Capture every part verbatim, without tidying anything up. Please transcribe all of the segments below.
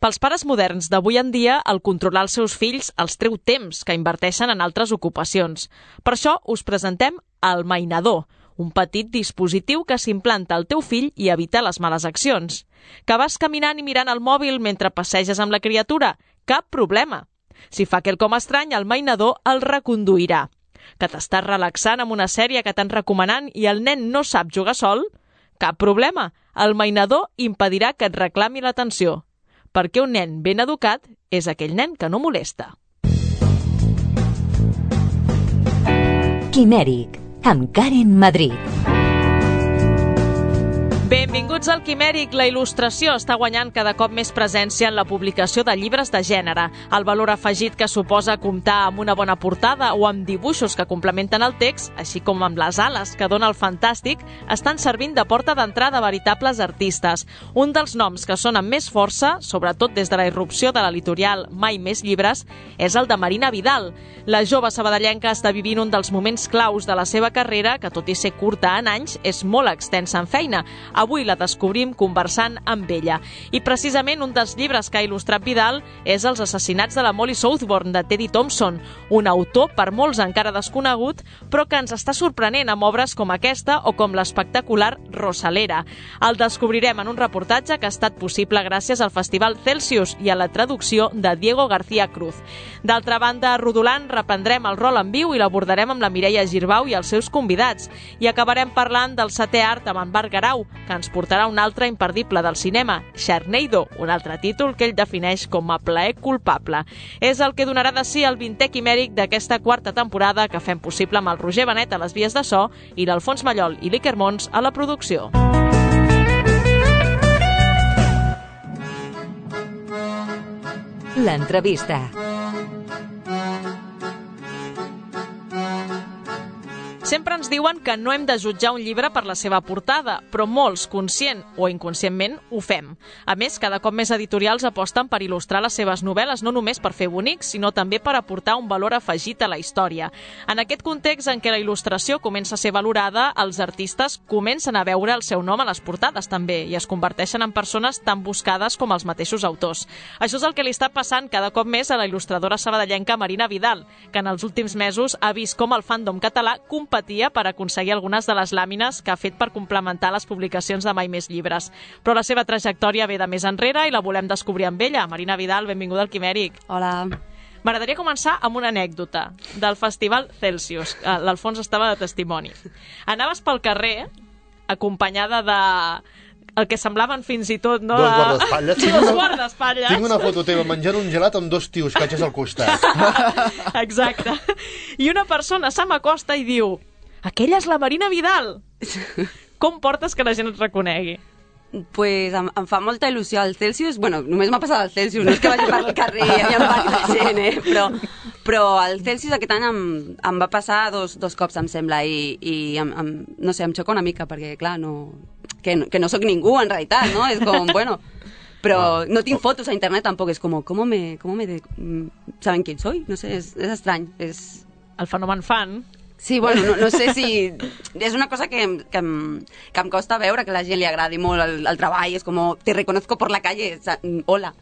Pels pares moderns d'avui en dia, el controlar els seus fills els treu temps que inverteixen en altres ocupacions. Per això us presentem el Mainador, un petit dispositiu que s'implanta al teu fill i evita les males accions. Que vas caminant i mirant el mòbil mentre passeges amb la criatura? Cap problema. Si fa quelcom estrany, el Mainador el reconduirà. Que t'estàs relaxant amb una sèrie que t'han recomanant i el nen no sap jugar sol? Cap problema. El Mainador impedirà que et reclami l'atenció. Perquè un nen ben educat és aquell nen que no molesta. Quimèric, amb Karen Madrid. Benvinguts al Quimèric. La il·lustració està guanyant cada cop més presència en la publicació de llibres de gènere. El valor afegit que suposa comptar amb una bona portada o amb dibuixos que complementen el text, així com amb les ales que dona el fantàstic, estan servint de porta d'entrada a veritables artistes. Un dels noms que sona amb més força, sobretot des de la irrupció de l'editorial Mai Més Llibres, és el de Marina Vidal. La jove sabadellenca està vivint un dels moments claus de la seva carrera, que tot i ser curta en anys, és molt extensa en feina. Avui la descobrim conversant amb ella. I precisament un dels llibres que ha il·lustrat Vidal és Els assassinats de la Molly Southbourne, de Teddy Thompson, un autor per molts encara desconegut, però que ens està sorprenent amb obres com aquesta o com l'espectacular Rosalera. El descobrirem en un reportatge que ha estat possible gràcies al Festival Celsius i a la traducció de Diego García Cruz. D'altra banda, a Rodolant reprendrem el rol en viu i l'abordarem amb la Mireia Girbau i els seus convidats. I acabarem parlant del setè art amb en Marc Garau, que ens portarà un altre imperdible del cinema, Sharknado, un altre títol que ell defineix com a plaer culpable. És el que donarà de si el vintè quimèric d'aquesta quarta temporada que fem possible amb el Roger Benet a les vies de so i l'Alfons Mallol i l'Iker Mons a la producció. L'entrevista. Sempre ens diuen que no hem de jutjar un llibre per la seva portada, però molts, conscient o inconscientment, ho fem. A més, cada cop més editorials aposten per il·lustrar les seves novel·les no només per fer bonics, sinó també per aportar un valor afegit a la història. En aquest context en què la il·lustració comença a ser valorada, els artistes comencen a veure el seu nom a les portades també i es converteixen en persones tan buscades com els mateixos autors. Això és el que li està passant cada cop més a la il·lustradora sabadellenca Marina Vidal, que en els últims mesos ha vist com el fandom català competia per aconseguir algunes de les làmines que ha fet per complementar les publicacions de Mai Més Llibres. Però la seva trajectòria ve de més enrere i la volem descobrir amb ella. Marina Vidal, benvinguda al Quimèric. Hola. M'agradaria començar amb una anècdota del Festival Celsius. L'Alfons estava de testimoni. Anaves pel carrer acompanyada de... el que semblaven fins i tot, no? Dos guardaespatlles. Sí, dos guardaespatlles. Tinc una foto teva menjant un gelat amb dos tios catxes al costat. Exacte. I una persona se m'acosta i diu: aquella és la Marina Vidal. Com portes que la gent et reconegui? Pues em, em fa molta il·lusió al Celsius. Bueno, només m'ha passat al Celsius, no és que vagi pel carrer i hi ha molta gent, eh? Però, però al Celsius aquest any em, em va passar dos, dos cops, em sembla, i, i em, em, no sé, em xoca una mica, perquè, clar, no, que, no, que no sóc ningú, en realitat, no? És com, bueno... Però no tinc fotos a internet tampoc, és com, com me, com me de, saben quién soy? No sé, és, és estrany. És... El fenomen fan. Sí, bueno, no, no sé si... És una cosa que, que, em, que em costa veure, que a la gent li agradi molt el, el treball, és com, te reconozco por la calle, hola.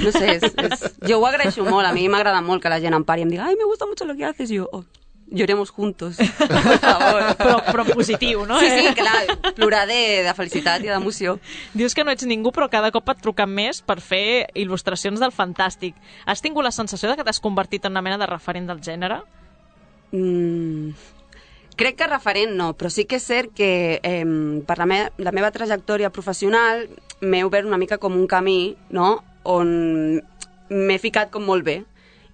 No sé, és, és... jo ho agraeixo molt, a mi m'agrada molt que la gent em pari i em diga, ai, me gusta mucho lo que haces, i jo, oh, lloremos juntos, por favor. Però, però positiu, no? Sí, sí, clar, plorar de, de felicitat i d'emoció. Dius que no ets ningú, però cada cop et truquen més per fer il·lustracions del fantàstic. Has tingut la sensació de que t'has convertit en una mena de referent del gènere? Mm, crec que referent no, però sí que és cert que eh, per la, me la meva trajectòria professional m'he obert una mica com un camí, no?, on m'he ficat com molt bé.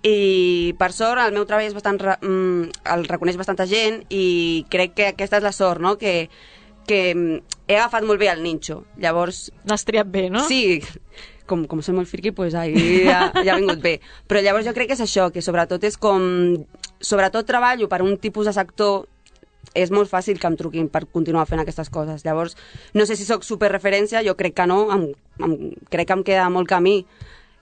I per sort el meu treball és bastant re mm, el reconeix bastanta gent i crec que aquesta és la sort, no?, que, que he agafat molt bé el ninxo. Llavors... L'has triat bé, no? Sí, com, com soy molt friqui, pues ahí ja, ja ha vingut bé. Però llavors jo crec que és això, que sobretot és com... Sobretot treballo per un tipus de sector, és molt fàcil que em truquin per continuar fent aquestes coses. Llavors, no sé si sóc superreferència, jo crec que no, em, em, crec que em queda molt camí.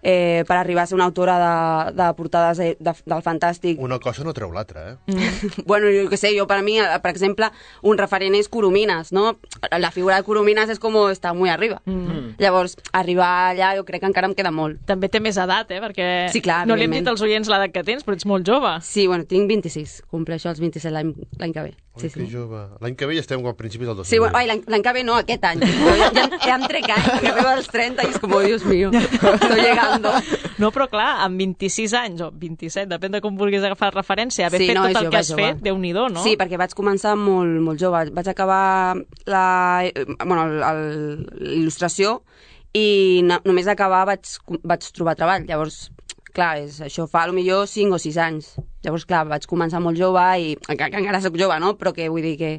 eh, per arribar a ser una autora de, de portades de, de, del Fantàstic. Una cosa no treu l'altra, eh? Mm. Bueno, jo què sé, jo per mi, per exemple, un referent és Coromines, no? La figura de Coromines és com està molt arriba. Mm. Llavors, arribar allà jo crec que encara em queda molt. També té més edat, eh? Perquè sí, clar, no li hem dit als oients l'edat que tens, però ets molt jove. Sí, bueno, tinc vint-i-sis, compleixo els vint-i-set l'any que ve. Sí, Oi, que sí. jove. L'any que ve ja estem a principis del dos mil. Sí, bueno, l'any que ve no, aquest any. Ja, ja, ja em trec anys, que arriba als trenta i és com, oh, Dios mío, estoy llegando. No, però clar, amb vint-i-sis anys o vint-i-set, depèn de com vulguis agafar referència, haver sí, fet no, tot el jove, que has jove. fet, Déu-n'hi-do, no? Sí, perquè vaig començar molt, molt jove. Vaig acabar la, bueno, l'il·lustració i no, només acabar vaig, vaig trobar treball. Llavors, clar, és, això fa potser cinc o sis anys. Llavors, clar, vaig començar molt jove i encara, encara soc jove, no? Però que vull dir que,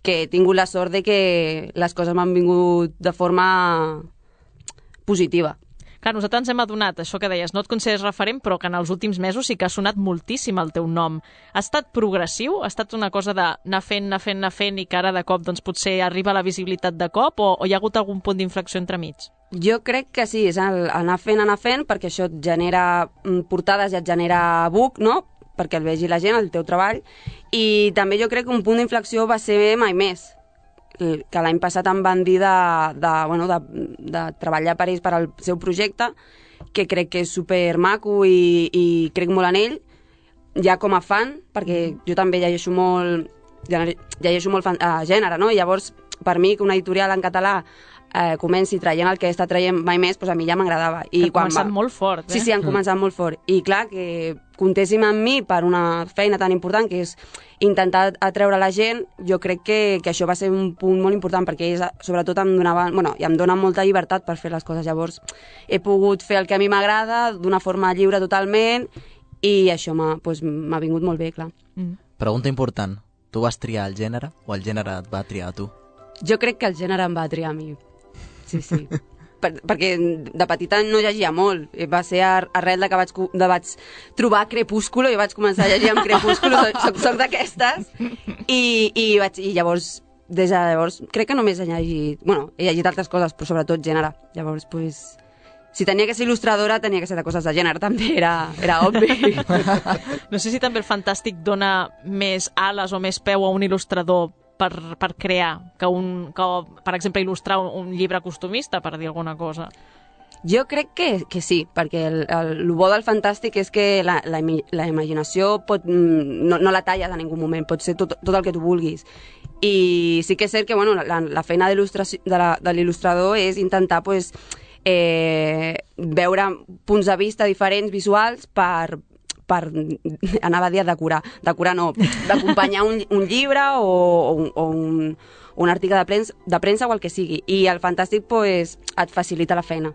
que he tingut la sort de que les coses m'han vingut de forma positiva. Clar, nosaltres ens hem adonat, això que deies, no et consideres referent, però que en els últims mesos sí que ha sonat moltíssim el teu nom. Ha estat progressiu? Ha estat una cosa d'anar fent, anar fent, anar fent i que ara de cop doncs, potser arriba la visibilitat de cop o, o hi ha hagut algun punt d'inflexió entremig? Jo crec que sí, és el, anar fent, anar fent, perquè això et genera portades i et genera book, no?, perquè el vegi la gent, el teu treball, i també jo crec que un punt d'inflexió va ser Mai Més, que l'any passat em van dir de, de, bueno, de, de treballar per ells per al seu projecte, que crec que és supermaco i, i crec molt en ell, ja com a fan, perquè jo també llegeixo molt, llegeixo molt fan, uh, gènere, no? I llavors, per mi, que una editorial en català eh, comenci traient el que està traient Mai Més, doncs a mi ja m'agradava. Han començat va... molt fort, eh? Sí, sí, han començat mm. molt fort. I clar, que comptéssim amb mi per una feina tan important, que és intentar atreure la gent, jo crec que, que això va ser un punt molt important, perquè ells sobretot em donaven, bueno, i em donen molta llibertat per fer les coses. Llavors, he pogut fer el que a mi m'agrada d'una forma lliure totalment, i això m'ha pues, m'ha vingut molt bé, clar. Mm. Pregunta important. Tu vas triar el gènere o el gènere et va triar a tu? Jo crec que el gènere em va triar a mi. Sí, sí. Per, perquè de petita no llegia molt. Va ser arrel de que vaig, de vaig trobar Crepúsculo i vaig començar a llegir amb Crepúsculo. Soc, soc d'aquestes. I, i, vaig, I llavors, des de llavors, crec que només he llegit... Bueno, he llegit altres coses, però sobretot gènere. Llavors, pues... Si tenia que ser il·lustradora, tenia que ser de coses de gènere, també era, era obvi. No sé si també el Fantàstic dona més ales o més peu a un il·lustrador per, per crear, que, un, que, per exemple, il·lustrar un, un llibre costumista, per dir alguna cosa. Jo crec que, que sí, perquè el, el, el bo del Fantàstic és que la, la, la imaginació pot, no, no la talles en ningú moment, pot ser tot, tot el que tu vulguis. I sí que és cert que bueno, la, la feina de l'il·lustrador és intentar... Pues, Eh, veure punts de vista diferents, visuals, per, per anava a dir decorar, decorar no, d'acompanyar un, un llibre o, o, o un, un article de premsa, de premsa o el que sigui. I el Fantàstic pues, et facilita la feina.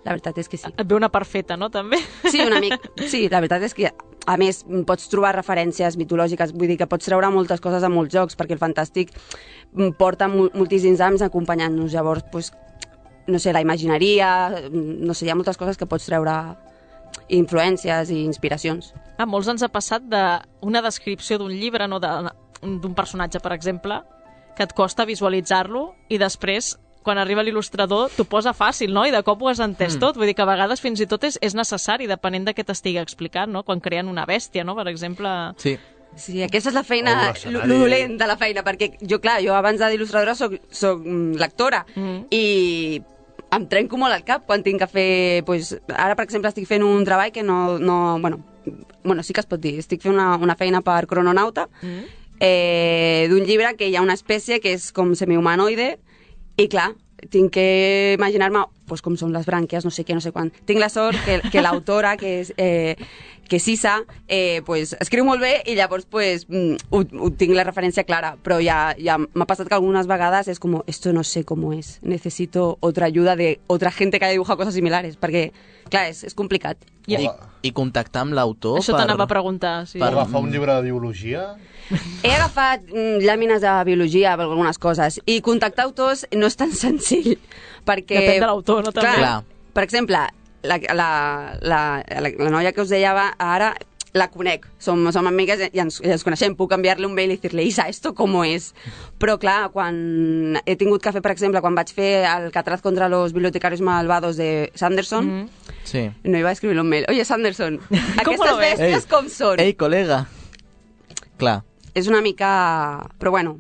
La veritat és que sí. Et ve una perfeta, no, també? Sí, una mica. Sí, la veritat és que, a més, pots trobar referències mitològiques, vull dir que pots treure moltes coses a molts jocs, perquè el Fantàstic porta moltíssims anys acompanyant-nos. Llavors, pues, no sé, la imagineria, no sé, hi ha moltes coses que pots treure influències i inspiracions. A molts ens ha passat d'una descripció d'un llibre, no, d'un personatge, per exemple, que et costa visualitzar-lo i després, quan arriba l'il·lustrador, t'ho posa fàcil, no? I de cop ho has entès mm. tot. Vull dir que a vegades fins i tot és, és necessari, depenent de què t'estigui explicant, no? Quan creen una bèstia, no? Per exemple... Sí. Sí, aquesta és la feina, oh, l'olent de la feina, perquè jo, clar, jo abans d'il·lustradora soc, soc lectora mm. i em trenco molt al cap quan tinc que fer... Pues, ara, per exemple, estic fent un treball que no... no bueno, bueno, sí que es pot dir. Estic fent una, una feina per Crononauta, mm. eh, d'un llibre que hi ha una espècie que és com semihumanoide i, clar, tinc que imaginar-me pues, com són les brànquies, no sé què, no sé quan. Tinc la sort que, que l'autora, que és... Eh, que Sisa, eh, pues, escriu molt bé i llavors pues, ho, ho tinc la referència clara, però ja, ja m'ha passat que algunes vegades és com, esto no sé cómo es, necesito otra ayuda de otra gente que haya dibujado cosas similares, perquè, clar, és, és complicat. I, I, i contactar amb l'autor... Això per... t'anava a preguntar. Sí. Per agafar un llibre de biologia? He agafat mm, làmines de biologia per algunes coses, i contactar autors no és tan senzill, perquè... Depèn de l'autor, no? També. Clar, per exemple, la, la, la, la, la noia que us deia ara, la conec, som, som amigues i ens, i ens coneixem, puc enviar-li un mail i dir-li, Isa, esto cómo es? Però clar, quan he tingut que fer, per exemple, quan vaig fer el Catraz contra los bibliotecarios malvados de Sanderson, mm. sí. no iba a escribir un mail, oye, Sanderson, aquestes bèsties Ei, com són? Ei, col·lega! Clar. És una mica... Però bueno,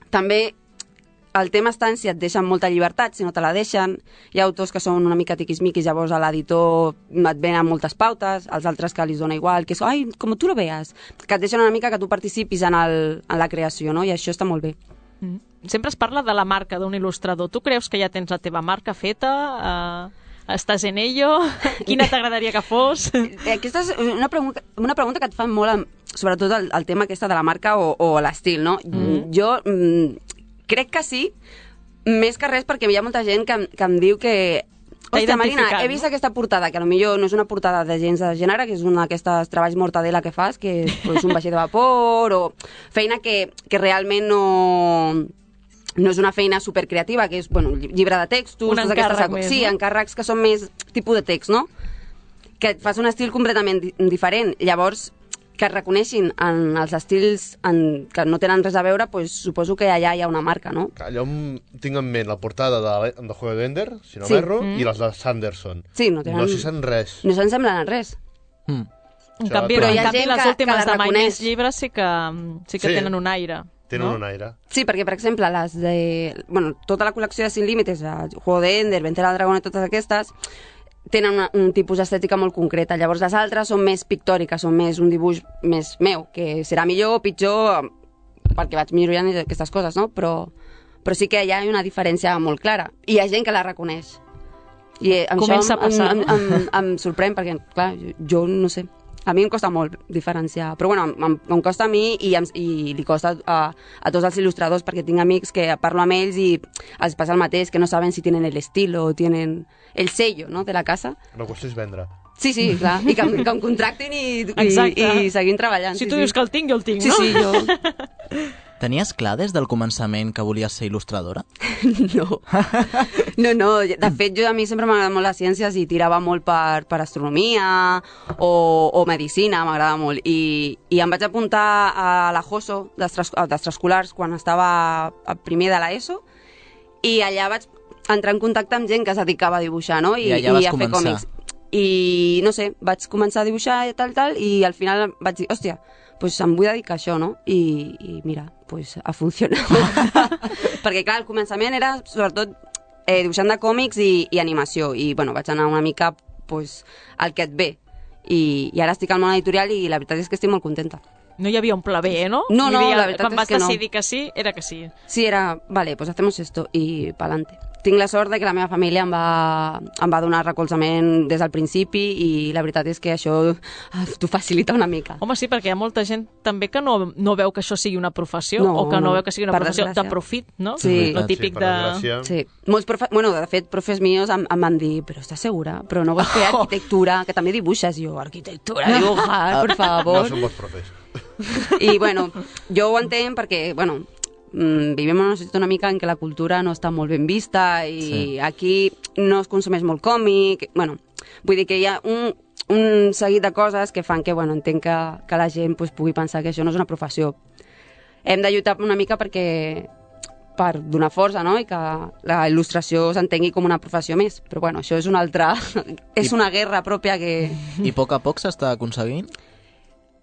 també el tema està en si et deixen molta llibertat, si no te la deixen. Hi ha autors que són una mica tiquismiquis, llavors a l'editor et venen moltes pautes, els altres que li dona igual, que és, ai, com tu lo veas, que et deixen una mica que tu participis en, el, en la creació, no? I això està molt bé. Mm. Sempre es parla de la marca d'un il·lustrador. Tu creus que ja tens la teva marca feta? Uh, estàs en ello? Quina t'agradaria que fos? Aquesta és una pregunta, una pregunta que et fan molt, sobretot el, el tema aquesta de la marca o, o l'estil, no? Mm. Jo... Mm, crec que sí, més que res perquè hi ha molta gent que, que em diu que hòstia, Marina, he vist no? aquesta portada, que potser no és una portada de gens de gènere, que és una d'aquestes treballs mortadela que fas, que és pues, un vaixell de vapor, o feina que, que realment no... no és una feina supercreativa, que és, bueno, llibre de textos... Un encàrrec més, sí, no? encàrrecs que són més tipus de text, no? Que et fas un estil completament di diferent. Llavors, que es reconeixin en els estils en, que no tenen res a veure, pues, suposo que allà hi ha una marca, no? Jo tinc en ment la portada de, de Juego de Ender, si no sí. m'erro, mm. i les de Sanderson. Sí, no tenen... No s'hi sent res. No se'n semblen a res. Mm. En canvi, però en hi ha canvi gent les que, últimes que de Mai reconeix. Més llibres sí que, sí que Sí. tenen un aire. Tenen no? un aire. Sí, perquè, per exemple, les de... Bueno, tota la col·lecció de Sin Límites, Juego de Ender, Ventera del Dragón i totes aquestes, tenen una, un tipus d'estètica molt concreta. Llavors les altres són més pictòriques, són més un dibuix més meu, que serà millor o pitjor perquè vaig millorant aquestes coses, no? Però, però sí que hi ha una diferència molt clara. I hi ha gent que la reconeix. I amb Comença això a passar. em, em, em, em sorprèn perquè, clar, jo no sé. A mi em costa molt diferenciar, però bueno, em, em costa a mi i, em, i li costa a, a tots els il·lustradors, perquè tinc amics que parlo amb ells i els passa el mateix, que no saben si tenen el estilo o tenen el sello, no?, de la casa. La qüestió és vendre. Sí, sí, clar, i que, em- que em contractin i, i, i seguim treballant. Si sí, tu sí. dius que el tinc, jo el tinc, Sí, no? sí, jo... Tenies clar des del començament que volies ser il·lustradora? No. No, no. De fet, jo a mi sempre m'agrada molt les ciències i tirava molt per, per astronomia o, o medicina, m'agrada molt. I, I em vaig apuntar a la JOSO d'extraescolars quan estava a primer de l'ESO i allà vaig entrar en contacte amb gent que es dedicava a dibuixar, no? I, I allà vas i a fer començar. còmics. I, no sé, vaig començar a dibuixar i tal, tal, i al final vaig dir, hòstia, pues em vull dedicar a això, no? I, i mira, pues ha funcionat. Perquè, clar, al començament era, sobretot, eh, dibuixant de còmics i, i animació. I, bueno, vaig anar una mica, pues, al que et ve. I, i ara estic al món editorial i la veritat és que estic molt contenta. No hi havia un pla B, eh, no? No, no, Vull dir, la veritat quan és vas que no. decidir que sí, era que sí. Sí, era, vale, pues hacemos esto i pa'lante. Tinc la sort de que la meva família em va, em va donar recolzament des del principi i la veritat és que això t'ho facilita una mica. Home, sí, perquè hi ha molta gent també que no, no veu que això sigui una professió No, o que no, no, veu que sigui una per professió desgràcia. de profit, no? Sí. Lo típic sí, per de... desgràcia. Sí, molts profe... bueno, de fet, profes meus em, em van dir, però estàs segura? Però no vols fer arquitectura, que també dibuixes? Jo, arquitectura, dibujar, por favor. No són bons profes. I, bueno, jo ho entenc perquè, bueno, mm, vivim en una societat una mica en què la cultura no està molt ben vista i Sí. aquí no es consumeix molt còmic, bueno, vull dir que hi ha un, un seguit de coses que fan que, bueno, entenc que, que la gent pues, pugui pensar que això no és una professió. Hem de lluitar una mica perquè per donar força, no?, i que la il·lustració s'entengui com una professió més. Però, bueno, això és una altra... és una guerra pròpia que... I a poc a poc s'està aconseguint?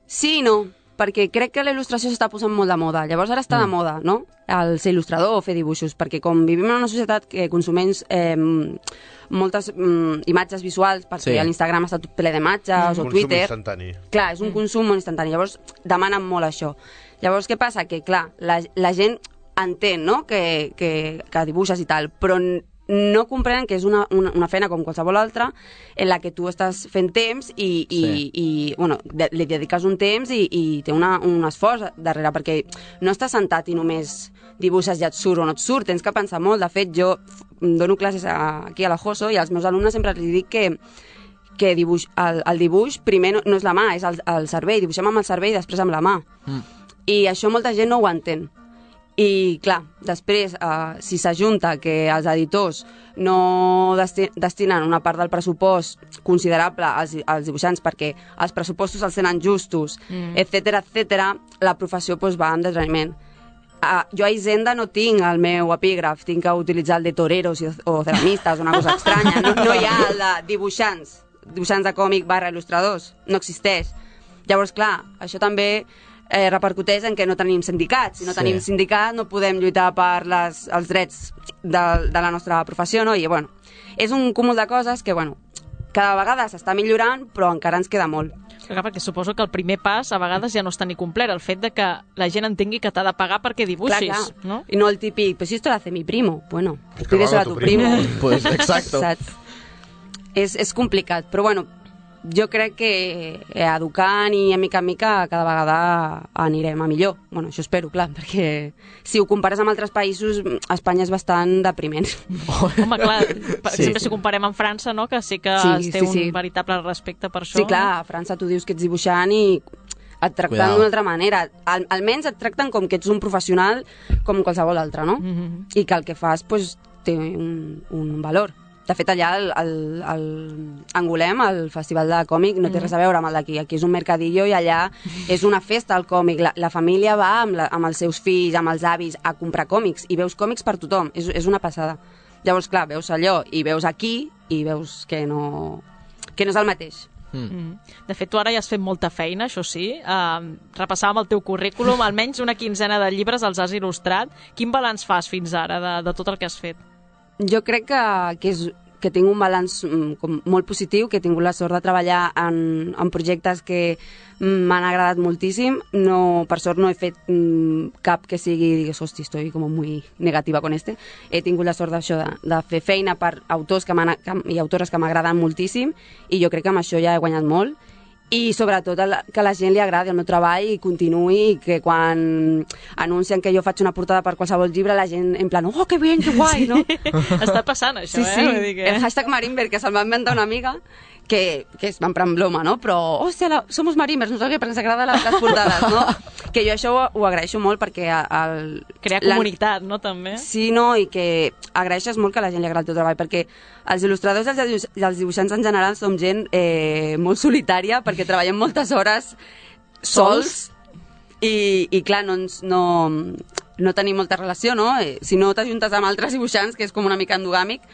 Sí i no, perquè crec que la il·lustració s'està posant molt de moda. Llavors ara està mm. de moda, no?, el ser il·lustrador o fer dibuixos, perquè com vivim en una societat que consumeix eh, moltes mm, imatges visuals, perquè Sí. l'Instagram està tot ple d'imatges, mm. o Consum Twitter... instantani. Clar, és un consum molt instantani, llavors demanen molt això. Llavors, què passa? Que, clar, la, la gent entén, no?, que, que, que dibuixes i tal, però no comprenen que és una, una, una feina com qualsevol altra en la que tu estàs fent temps i, i, Sí. i bueno, de, li dediques un temps i, i té una, un esforç darrere, perquè no estàs sentat i només dibuixes i et surt o no et surt, tens que pensar molt. De fet, jo dono classes a, aquí a la JOSO i als meus alumnes sempre els dic que que dibuix, el, el dibuix primer no, no és la mà, és el, el cervell, dibuixem amb el cervell i després amb la mà. Mm. I això molta gent no ho entén. I, clar, després, eh, si s'ajunta que els editors no desti destinen una part del pressupost considerable als, als dibuixants perquè els pressupostos els tenen justos, mm. etcètera, etcètera, la professió pues, va en detraïment. Uh, jo a Hisenda no tinc el meu epígraf, tinc que utilitzar el de toreros i, o ceramistes, una cosa estranya. No, no hi ha el de dibuixants, dibuixants de còmic barra il·lustradors, no existeix. Llavors, clar, això també eh, repercuteix en que no tenim sindicats. Si no tenim sí. sindicat no podem lluitar per les, els drets de, de la nostra professió, no? I, bueno, és un cúmul de coses que, bueno, cada vegada s'està millorant, però encara ens queda molt. Clar, perquè suposo que el primer pas a vegades ja no està ni complert, el fet de que la gent entengui que t'ha de pagar perquè dibuixis, clar, clar. No? I no el típic, pues si esto lo hace mi primo. Bueno, pídeselo a tu primo. primo. Pues exacto. Saps? És, és complicat, però bueno, jo crec que educant i a mica en mica cada vegada anirem a millor. Bueno, això espero, clar, perquè si ho compares amb altres països, Espanya és bastant depriment. Home, clar, per sí, exemple, sí. si comparem amb França, no?, que sí que sí, es té sí, sí. un veritable respecte per això. Sí, clar, a França tu dius que ets dibuixant i et tracten d'una altra manera. Al, almenys et tracten com que ets un professional com qualsevol altre, no? Mm-hmm. I que el que fas pues, té un, un valor. De fet, allà el, el, el Angolem, el festival de còmic, no té res a veure amb el d'aquí. Aquí és un mercadillo i allà és una festa al còmic. La, la família va amb, la, amb els seus fills, amb els avis, a comprar còmics i veus còmics per tothom. És, és una passada. Llavors, clar, veus allò i veus aquí i veus que no, que no és el mateix. Mm. De fet, tu ara ja has fet molta feina, això sí. Uh, repassàvem el teu currículum, almenys una quinzena de llibres els has il·lustrat. Quin balanç fas fins ara de, de tot el que has fet? Jo crec que, que, és, que tinc un balanç com, molt positiu, que he tingut la sort de treballar en, en projectes que m'han agradat moltíssim. No, per sort no he fet mm, cap que sigui, digues, hosti, estoy como muy negativa con este. He tingut la sort d'això, de, de fer feina per autors que que, i autores que m'agraden moltíssim i jo crec que amb això ja he guanyat molt. I sobretot que a la gent li agradi el meu treball i continuï, i que quan anuncien que jo faig una portada per qualsevol llibre, la gent en plan, oh, que bien, que guai, no? Està passant això, sí, eh? Sí, Vull dir que... el hashtag Marimber, que se'l va inventar una amiga, que, que es va emprar en broma, no? Però, hòstia, la, somos Marimbers, no sé què, perquè ens agraden les, les portades, no? Que jo això ho, ho agraeixo molt perquè... El, Crear comunitat, no, també? Sí, no, i que agraeixes molt que a la gent li agradi el teu treball, perquè els il·lustradors i els, i els dibuixants en general som gent eh, molt solitària, perquè treballem moltes hores sols, i, i clar, no, ens, no, no tenim molta relació, no? Eh, si no t'ajuntes amb altres dibuixants, que és com una mica endogàmic,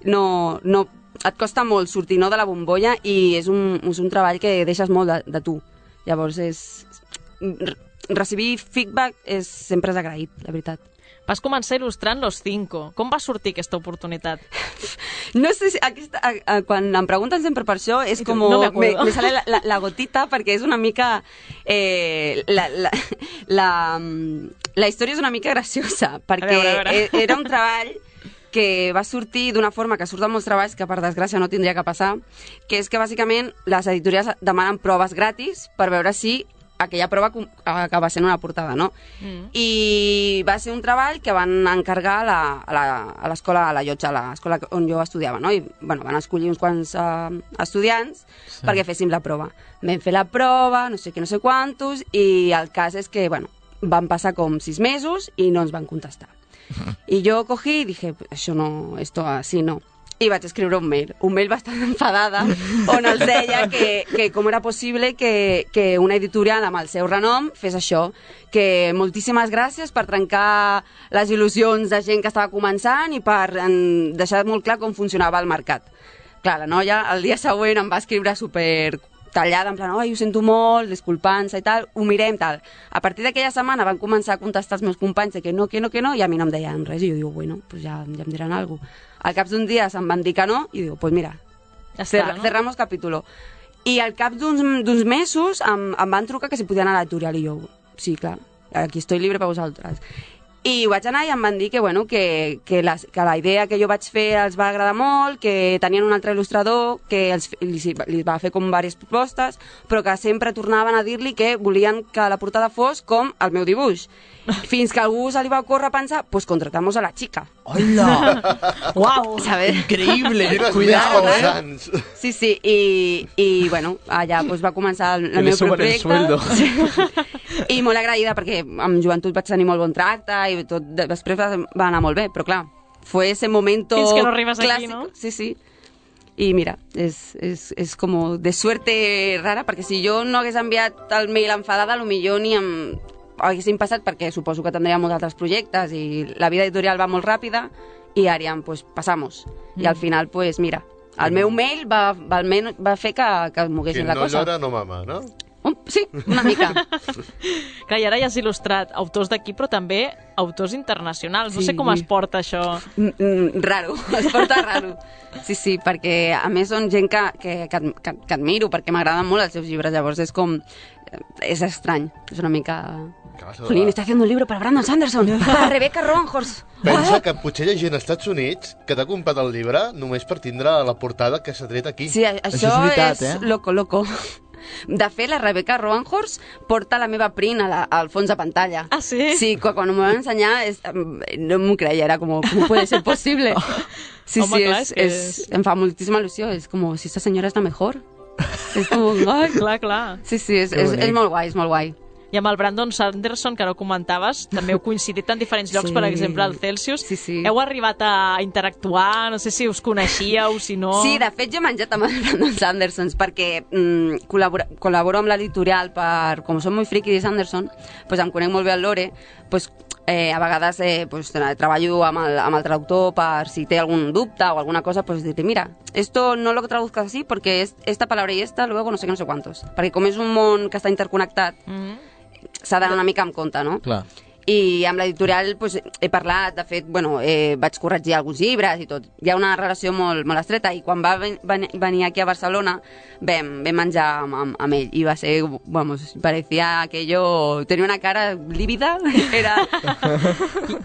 no, no, et costa molt sortir, no, de la bombolla, i és un, és un treball que deixes molt de, de tu. Llavors, és, recibir feedback és, sempre és agraït, la veritat. Vas començar il·lustrant Los Cinco. Com va sortir aquesta oportunitat? No sé si aquesta, a, a, quan em pregunten sempre per això és com... No me, me sale la, la, la gotita, perquè és una mica... Eh, la, la, la, la història és una mica graciosa, perquè a veure, a veure. Era un treball que va sortir d'una forma que surt de molts treballs, que per desgràcia no tindria que passar, que és que bàsicament les editorials demanen proves gratis per veure si aquella prova acaba sent una portada, no? Mm. I va ser un treball que van encargar a l'escola, a la Llotja, a l'escola on jo estudiava, no? I, bueno, van escollir uns quants uh, estudiants sí. perquè féssim la prova. Vam fer la prova, no sé què, no sé quantos, i el cas és que, bueno, van passar com sis mesos i no ens van contestar. I jo cogí i dije, això no, esto así no. I vaig escriure un mail, un mail bastant enfadada, on els deia que, que com era possible que, que una editorial amb el seu renom fes això, que moltíssimes gràcies per trencar les il·lusions de gent que estava començant i per en, deixar molt clar com funcionava el mercat. Clar, la noia el dia següent em va escriure super tallada, en plan, oi, ho sento molt, disculpant-se i tal, ho mirem, tal. A partir d'aquella setmana van començar a contestar els meus companys de que no, que no, que no, i a mi no em deien res, i jo digo, bueno, pues ja, ja em diran alguna cosa. Al cap d'un dia se'm van dir que no, i digo, pues mira, ja està, cer no? cerramos capítulo. I al cap d'uns mesos em, em van trucar que si podien anar a l'editorial, i jo, sí, clar, aquí estoy libre per vosaltres. I vaig anar i em van dir que, bueno, que, que, la, que la idea que jo vaig fer els va agradar molt, que tenien un altre il·lustrador, que els, li, li va fer com diverses propostes, però que sempre tornaven a dir-li que volien que la portada fos com el meu dibuix. Fins que algú se li va ocórrer pensar, pues contratamos a la chica. ¡Hola! ¡Wow! ¿Sabes? Increïble! Cuidado, eh? Sí, sí, i, i bueno, allà pues, va començar el, el meu projecte. Sí. I molt agraïda perquè amb joventut vaig tenir molt bon tracte i tot després va, va anar molt bé, però clar, fue ese momento Fins que no arribes clásico. aquí, no? Sí, sí. I mira, és, és, és com de suerte rara, perquè si jo no hagués enviat el mail enfadada, potser ni em haguessin passat, perquè suposo que tindria molts altres projectes i la vida editorial va molt ràpida i Ariam, pues pasamos. Mm. I al final, pues mira, el meu mail va, va, almenys, va fer que, que moguessin la no cosa. Llora, no mama, no? Um, sí, una mica. Clar, i ara ja has il·lustrat autors d'aquí, però també autors internacionals. No Sí. sé com es porta això. Mm, mm, raro, es porta raro. Sí, sí, perquè a més són gent que, que, que, que, que admiro, perquè m'agraden molt els seus llibres, llavors és com... és estrany, és una mica... Clar, Jolín, está haciendo un libro para Brandon Sanderson, para Rebecca Roanhorse. Pensa que potser hi ha gent als Estats Units que t'ha comprat el llibre només per tindre la portada que s'ha tret aquí. Sí, a- això, és veritat, és eh? loco, loco. De fet, la Rebecca Roanhorse porta la meva print a la, al fons de pantalla. Ah, sí? Sí, quan, quan m'ho van ensenyar és, no m'ho creia, era com, com puede ser posible? Sí, Home, sí, clar, és, és que és, és- em fa moltíssima il·lusió, és com, si esta senyora és la mejor. És com, ai. Clar, clar. Sí, sí, és, Que és, bonic. és molt guai, és molt guai. I amb el Brandon Sanderson, que no comentaves, també heu coincidit en diferents llocs, Sí. per exemple, al Celsius. Sí, sí. Heu arribat a interactuar, no sé si us coneixíeu, si no... Sí, de fet jo he menjat amb el Brandon Sanderson perquè mm, col·labora, col·laboro amb l'editorial per, com som molt friki de Sanderson, pues em conec molt bé el Lore, pues, eh, a vegades eh, pues, treballo amb el, amb el traductor per si té algun dubte o alguna cosa, pues dir mira, esto no lo traduzcas así porque es esta palabra y esta, luego no sé qué, no sé cuántos. Perquè com és un món que està interconnectat, Mm. s'ha d'anar una mica amb compte, no? Clar. I amb l'editorial pues, he parlat, de fet, bueno, eh, vaig corregir alguns llibres i tot. Hi ha una relació molt, molt estreta i quan va ven, ven, venir aquí a Barcelona vam, vam menjar amb, amb, amb ell i va ser, vamos, parecía que jo tenia una cara lívida. Era...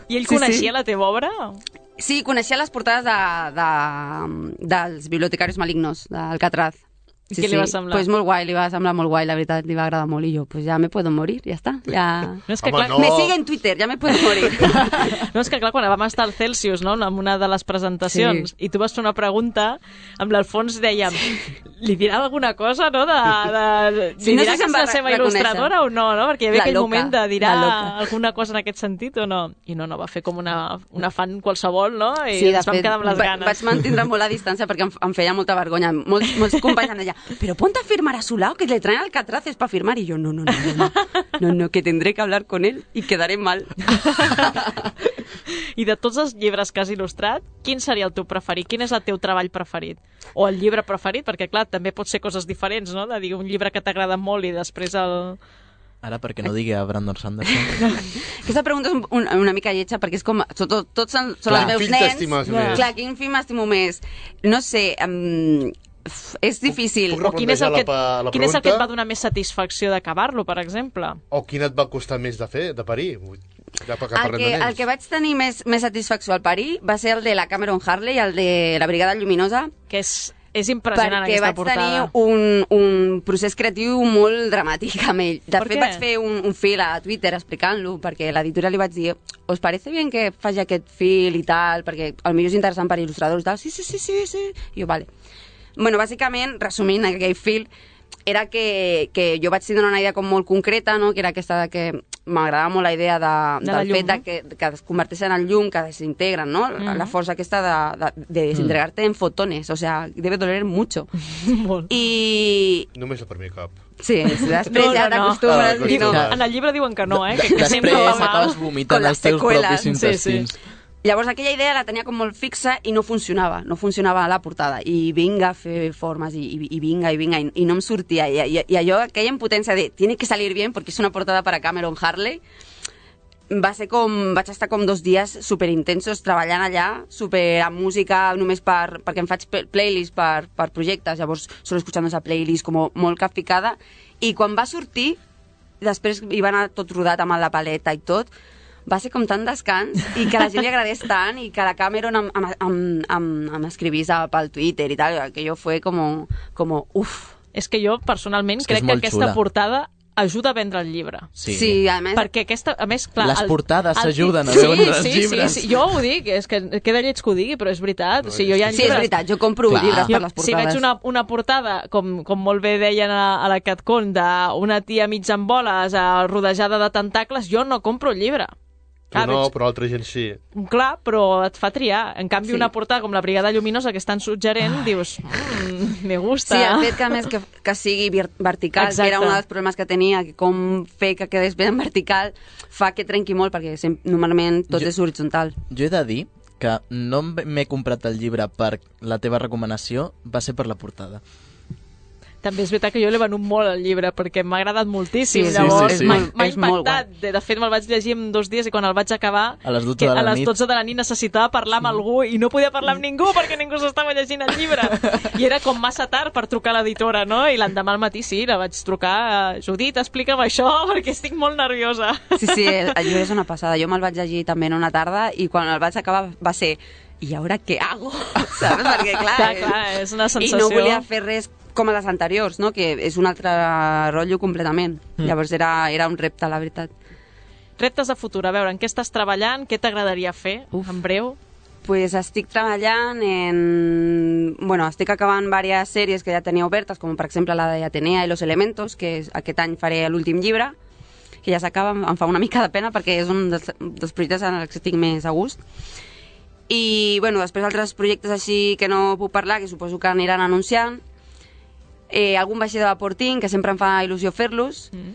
I ell Sí, coneixia sí. la teva obra? Sí, coneixia les portades de, de, dels bibliotecaris malignos, d'Alcatraz. I Sí, què li sí. va semblar? Pues molt guai, li va semblar molt guai, la veritat, li va agradar molt. I jo, pues ja me puedo morir, ja està. Ja... No és que, Home, clar, no. Me sigue en Twitter, ja me puedo morir. no, és que clar, quan vam estar al Celsius, no?, en una de les presentacions, Sí. i tu vas fer una pregunta, amb l'Alfons dèiem, li dirà alguna cosa, no?, de... de Sí, li no dirà sé si que em és va la seva reconèixer. il·lustradora o no, no?, perquè hi havia La aquell loca, moment de dirà la loca. alguna cosa en aquest sentit o no. I no, no, va fer com una, una fan qualsevol, no?, i Sí, de ens vam fet, quedar amb les va- ganes. vaig mantindre molt la distància perquè em, em feia molta vergonya. Molts, molts companys em deien, però ponte a firmar a su lado, que le traen alcatraces para firmar. Y yo, no, no, no, no, no, no, no, que tendré que hablar con él y quedaré mal. I de tots els llibres que has il·lustrat, quin seria el teu preferit? Quin és el teu treball preferit? O el llibre preferit? Perquè, clar, també pot ser coses diferents, no?, de dir un llibre que t'agrada molt i després el... Ara, perquè no digui a Brandon Sanderson. Aquesta pregunta és un, un, una mica lletja perquè és com, són, tot, tots són, són Clar. els meus Quin nens. t'estimes Clar. més? Clar, quin film m'estimo més? No sé, um, és difícil. puc O quin és el que, replantejar la- la quin és el que et pregunta? va donar més satisfacció d'acabar-lo, per exemple? O quin et va costar més de fer, de parir? Vull- Ja que El parlem que, de nens. el que vaig tenir més, més satisfacció al parir va ser el de la Cameron Harley, el de la Brigada Lluminosa, Que és, és impressionant perquè aquesta vaig portada. tenir un, un procés creatiu molt dramàtic amb ell. De Per fet, què? vaig fer un, un fil a Twitter explicant-lo, perquè a l'editorial li vaig dir ¿os parece bien que faci aquest fil i tal? Perquè potser és interessant per il·lustradors i tal. Sí, sí, sí, sí, sí. I jo, vale. Bueno, bàsicament, resumint aquell fil, era que, que jo vaig tindre una idea com molt concreta, no?, que era aquesta de que m'agradava molt la idea de, De la del llum, fet de no? que, que es converteixen en llum, que desintegren, ¿no? Mm. La força aquesta de, de, de desintegrarte en fotones, o sea, debe doler mucho. Molt. I... Només el primer cop. Sí, després No, no, ja no. t'acostumes Ah, i no. t'acostumes. En el llibre diuen que no, eh? Que, que Després sempre va mal. acabes Con vomitant les els teus seqüeles. propis Sí, sí. intestins. Llavors aquella idea la tenia com molt fixa i no funcionava, no funcionava a la portada. I vinga a fer formes i, i, i vinga i vinga i, i no em sortia. I, i, i allò, aquella impotència de tiene que salir bien porque es una portada para Cameron Harley, va ser com, vaig estar com dos dies superintensos treballant allà, super amb música només per, perquè em faig pl- playlist per, per projectes, llavors solo escuchando esa playlist com molt capficada, i quan va sortir, després hi va anar tot rodat amb la paleta i tot, va ser com tant descans i que a la gent li agradés tant i que la Cameron em, em, em, em, em escrivís a- pel Twitter i tal, que jo fue como, como uff. És que jo, personalment, És que és crec que molt aquesta xula. portada ajuda a vendre el llibre. Sí, sí a més... Perquè aquesta, a més, clar... Les el, portades s'ajuden a sí, vendre els sí, llibres. Sí, sí, jo ho dic, és que queda lleig que ho digui, però és veritat. No, o sigui, jo hi ha sí, llibres... és veritat, jo compro Clar. llibres Jo, per les portades. si veig una, una portada, com, com molt bé deien a, a la CatCon, d'una tia mig en boles a, rodejada de tentacles, jo no compro el llibre. Tu Ah, no, veig... però altra gent sí. Clar, però et fa triar. En canvi, Sí. una portada com la Brigada Lluminosa, que és tan suggerent, dius, mmm, me gusta. Sí, el fet que, a més, que, que sigui vir- vertical, Exacte. que era un dels problemes que tenia, que com fer que quedés ben vertical, fa que trenqui molt, perquè sem- normalment tot Jo- és horitzontal. Jo he de dir que no m'he comprat el llibre per la teva recomanació, va ser per la portada. També és veritat que jo l'he venut molt al llibre perquè m'ha agradat moltíssim. Sí, sí, Llavors, sí, sí. m'ha m'ha És molt impactat. De, de fet, me'l vaig llegir en dos dies i quan el vaig acabar, A les dotze que de la a les nit. dotze de la nit necessitava parlar amb algú i no podia parlar amb ningú perquè ningú s'estava llegint el llibre. I era com massa tard per trucar a l'editora, no? I l'endemà al matí sí, la vaig trucar a Judit, explica'm això perquè estic molt nerviosa. Sí, sí, el, el llibre és una passada. Jo me'l vaig llegir també en una tarda i quan el vaig acabar va ser ¿y ahora qué hago? ¿Sabes? Perquè, clar, Clar, clar, és una I sensació... no volia fer res com a les anteriors, no? Que és un altre rotllo completament. Mm. Llavors era, era un repte, la veritat. Reptes de futur, a veure, en què estàs treballant? Què t'agradaria fer, Uf. en breu? Pues estic treballant en... Bueno, estic acabant diverses sèries que ja tenia obertes, com per exemple la de Atenea i los Elementos, que és, aquest any faré l'últim llibre, que ja s'acaba, em fa una mica de pena perquè és un dels, dels projectes en els que estic més a gust. I, bueno, després altres projectes així que no puc parlar, que suposo que aniran anunciant. Eh, algun vaixell de vapor tinc, que sempre em fa il·lusió fer-los. Mm.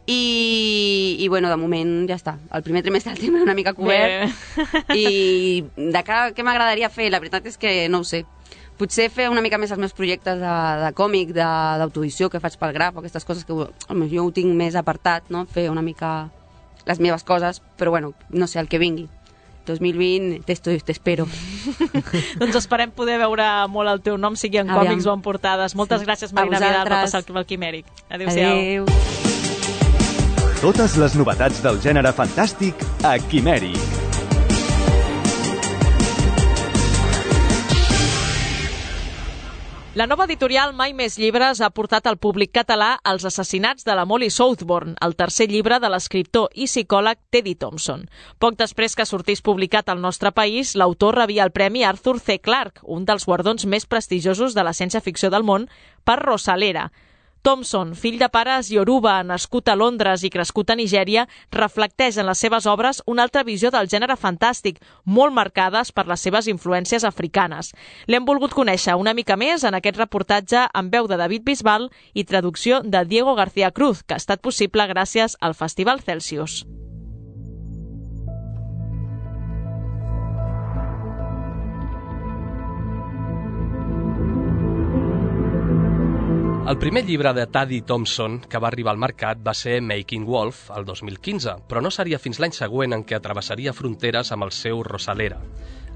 I, I, bueno, de moment ja està. El primer trimestre el tinc una mica cobert. Bé. I de cara a què m'agradaria fer, la veritat és que no ho sé. Potser fer una mica més els meus projectes de, de còmic, de- d'autoedició que faig pel Graf, aquestes coses que home, jo ho tinc més apartat, no? Fer una mica les meves coses, però bueno, no sé, el que vingui. dos mil vint, t'espero. Doncs esperem poder veure molt el teu nom, sigui en Aviam. còmics o en portades. Moltes Sí. gràcies, A Marina Vidal, per vosaltres. passar pel Quimèric. Adéu-siau. Adéu. Totes les novetats del gènere fantàstic a Quimèric. La nova editorial Mai Més Llibres ha portat al públic català Els assassinats de la Molly Southbourne, el tercer llibre de l'escriptor i psicòleg Teddy Thompson. Poc després que sortís publicat al nostre país, l'autor rebia el Premi Arthur C. Clarke, un dels guardons més prestigiosos de la ciència-ficció del món, per Rosalera. Thompson, fill de pares ioruba, nascut a Londres i crescut a Nigèria, reflecteix en les seves obres una altra visió del gènere fantàstic, molt marcades per les seves influències africanes. L'hem volgut conèixer una mica més en aquest reportatge amb veu de David Bisbal i traducció de Diego García Cruz, que ha estat possible gràcies al Festival Celsius. El primer llibre de Teddy Thompson que va arribar al mercat va ser Making Wolf, el dos mil quinze, però no seria fins l'any següent en què atravessaria fronteres amb el seu Rosalera.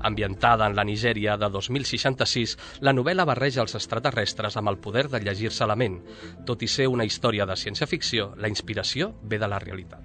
Ambientada en la Nigèria de dos mil seixanta-sis, la novel·la barreja els extraterrestres amb el poder de llegir-se la ment. Tot i ser una història de ciència-ficció, la inspiració ve de la realitat.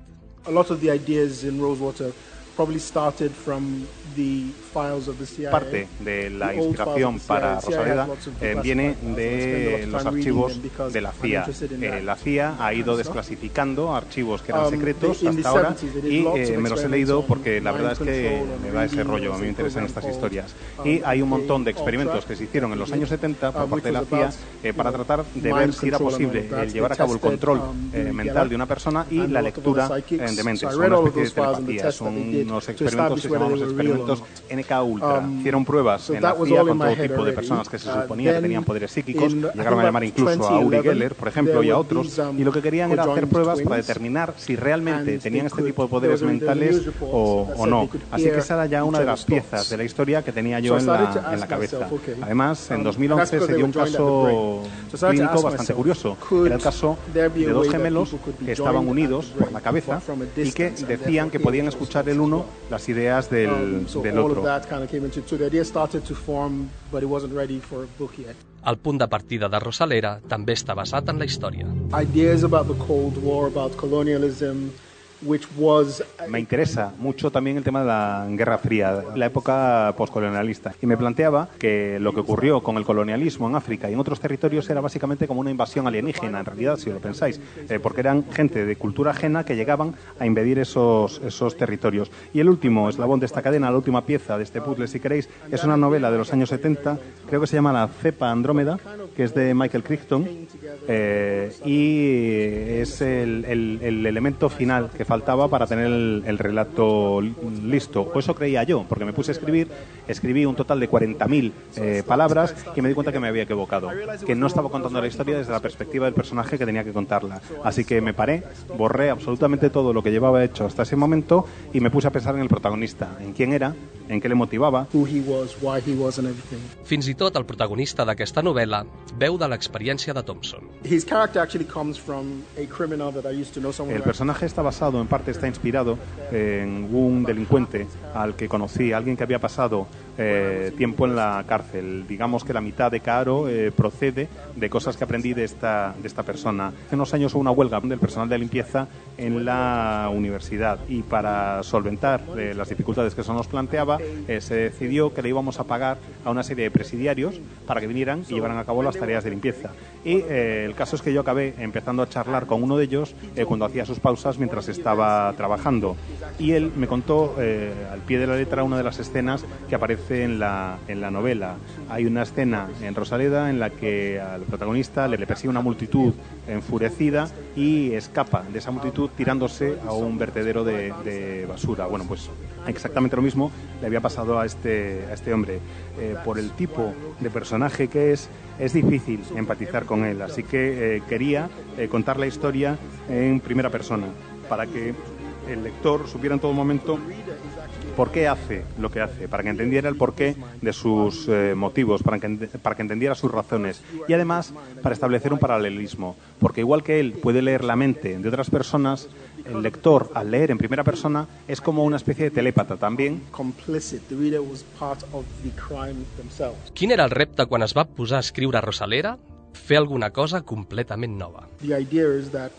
A lot of the ideas in Rosewater probably started from the files of the C I A. Parte de la The old inspiración files of the para C I A. C I A has Rosaleda lots of eh, declassified viene files. I spend a lot de of los time reading archivos them because de la I'm C I A. interested in Eh, that la C I A ha ido stuff. desclasificando archivos que eran Um, secretos they- in the hasta ahora seventies they did y lots eh, of me los he experiments leído on porque la verdad es mind que control and me va ese reading. rollo, a mí me There's a interesan estas program historias. called, Y um, hay un montón de Ultra, experimentos que se hicieron en los años setenta por um, parte de la which C I A was about, eh, you para know, tratar de mind ver si era control and posible all of that. el llevar a They cabo el tested, control um, eh, Uri mental Geller de una persona y and la a lot of other lectura psychics. eh, de mentes. So I Son read una all of especie de those files and the telepatía, tests that son they did unos to experimentos que establish se whether llaman los they were real or experimentos not. N K Ultra. Um, Hicieron pruebas so en la that was C I A all in con my todo head tipo de already. personas que se Uh, suponía que then tenían poderes psíquicos, in, I llegaron a think llamar about incluso a Uri twenty eleven, Geller, por ejemplo, there y a were otros, these, um, y lo que querían era hacer conjoined pruebas para twins, determinar si realmente and tenían they este could- tipo de poderes there was a- there were mentales news reports o, that o said no. they could Así que hear esa era ya una each de las other's thoughts. piezas de la historia que tenía So yo I en started la, to en ask la cabeza. myself, okay, Además, en um, dos mil and that's once because se they dio were un joined at the caso brain. So I started to clínico ask bastante myself, curioso. could Era el caso there be de a dos way that gemelos people could be que estaban joined at unidos the por brain la cabeza from a y que distance and decían que therefore podían hear each escuchar other's el uno thoughts? las ideas del, Um, so del all otro. of that kind of came into so the idea started to form, but it wasn't ready for a book yet. El punt de partida de Rosalera també està basat en la història. Ideas about the Cold War, about colonialism, which was Me interesa mucho también el tema de la Guerra Fría, la época postcolonialista. Y me planteaba que lo que ocurrió con el colonialismo en África y en otros territorios era básicamente como una invasión alienígena, en realidad, si lo pensáis, eh, porque eran gente de cultura ajena que llegaban a invadir esos, esos territorios. Y el último eslabón de esta cadena, la última pieza de este puzzle, si queréis, es una novela de los años setenta, creo que se llama La cepa Andrómeda, que es de Michael Crichton, eh, y es el, el, el elemento final que faltaba para tener el, el relato listo. O eso creía yo, porque me puse a escribir, escribí un total de cuarenta mil eh, palabras y me di cuenta que me había equivocado, que no estaba contando la historia desde la perspectiva del personaje que tenía que contarla. Así que me paré, borré absolutamente todo lo que llevaba hecho hasta ese momento y me puse a pensar en el protagonista, en quién era, en qué le motivaba. who he was, why he was, and everything. Fins i tot el protagonista d'aquesta novel·la veu de l'experiència de Thompson. His character actually comes from a criminal that I used to know, someone El who personaje está basado, en parte está inspirado en un delincuente al que conocí, alguien que había pasado eh, tiempo en la cárcel. Digamos que la mitad de Caro eh, procede de cosas que aprendí de esta, de esta persona. Hace unos años hubo una huelga del personal de limpieza en la universidad y para solventar eh, las dificultades que eso nos planteaba, eh, se decidió que le íbamos a pagar a una serie de presidiarios para que vinieran y llevaran a cabo las tareas de limpieza. Y eh, el caso es que yo acabé empezando a charlar con uno de ellos eh, cuando hacía sus pausas mientras estaba trabajando. Y él me contó eh, al pie de la letra una de las escenas que aparece en la, en la novela. Hay una escena en Rosaleda en la que al protagonista le, le persigue una multitud enfurecida y escapa de esa multitud tirándose a un vertedero de, de basura. Bueno, pues exactamente lo mismo le había pasado a este, a este hombre. Eh, por el tipo de personaje que es, es difícil empatizar con él, así que eh, quería eh, contar la historia en primera persona, para que el lector supiera en todo momento por qué hace lo que hace, para que entendiera el porqué de sus eh, motivos, para que, para que entendiera sus razones y además para establecer un paralelismo, porque igual que él puede leer la mente de otras personas, el lector al leer en primera persona es como una especie de telépata también. complicit. The reader was part of the crime themselves. Quin era el repte quan es va posar a escriure Rosalera? Fer alguna cosa completament nova. The idea is that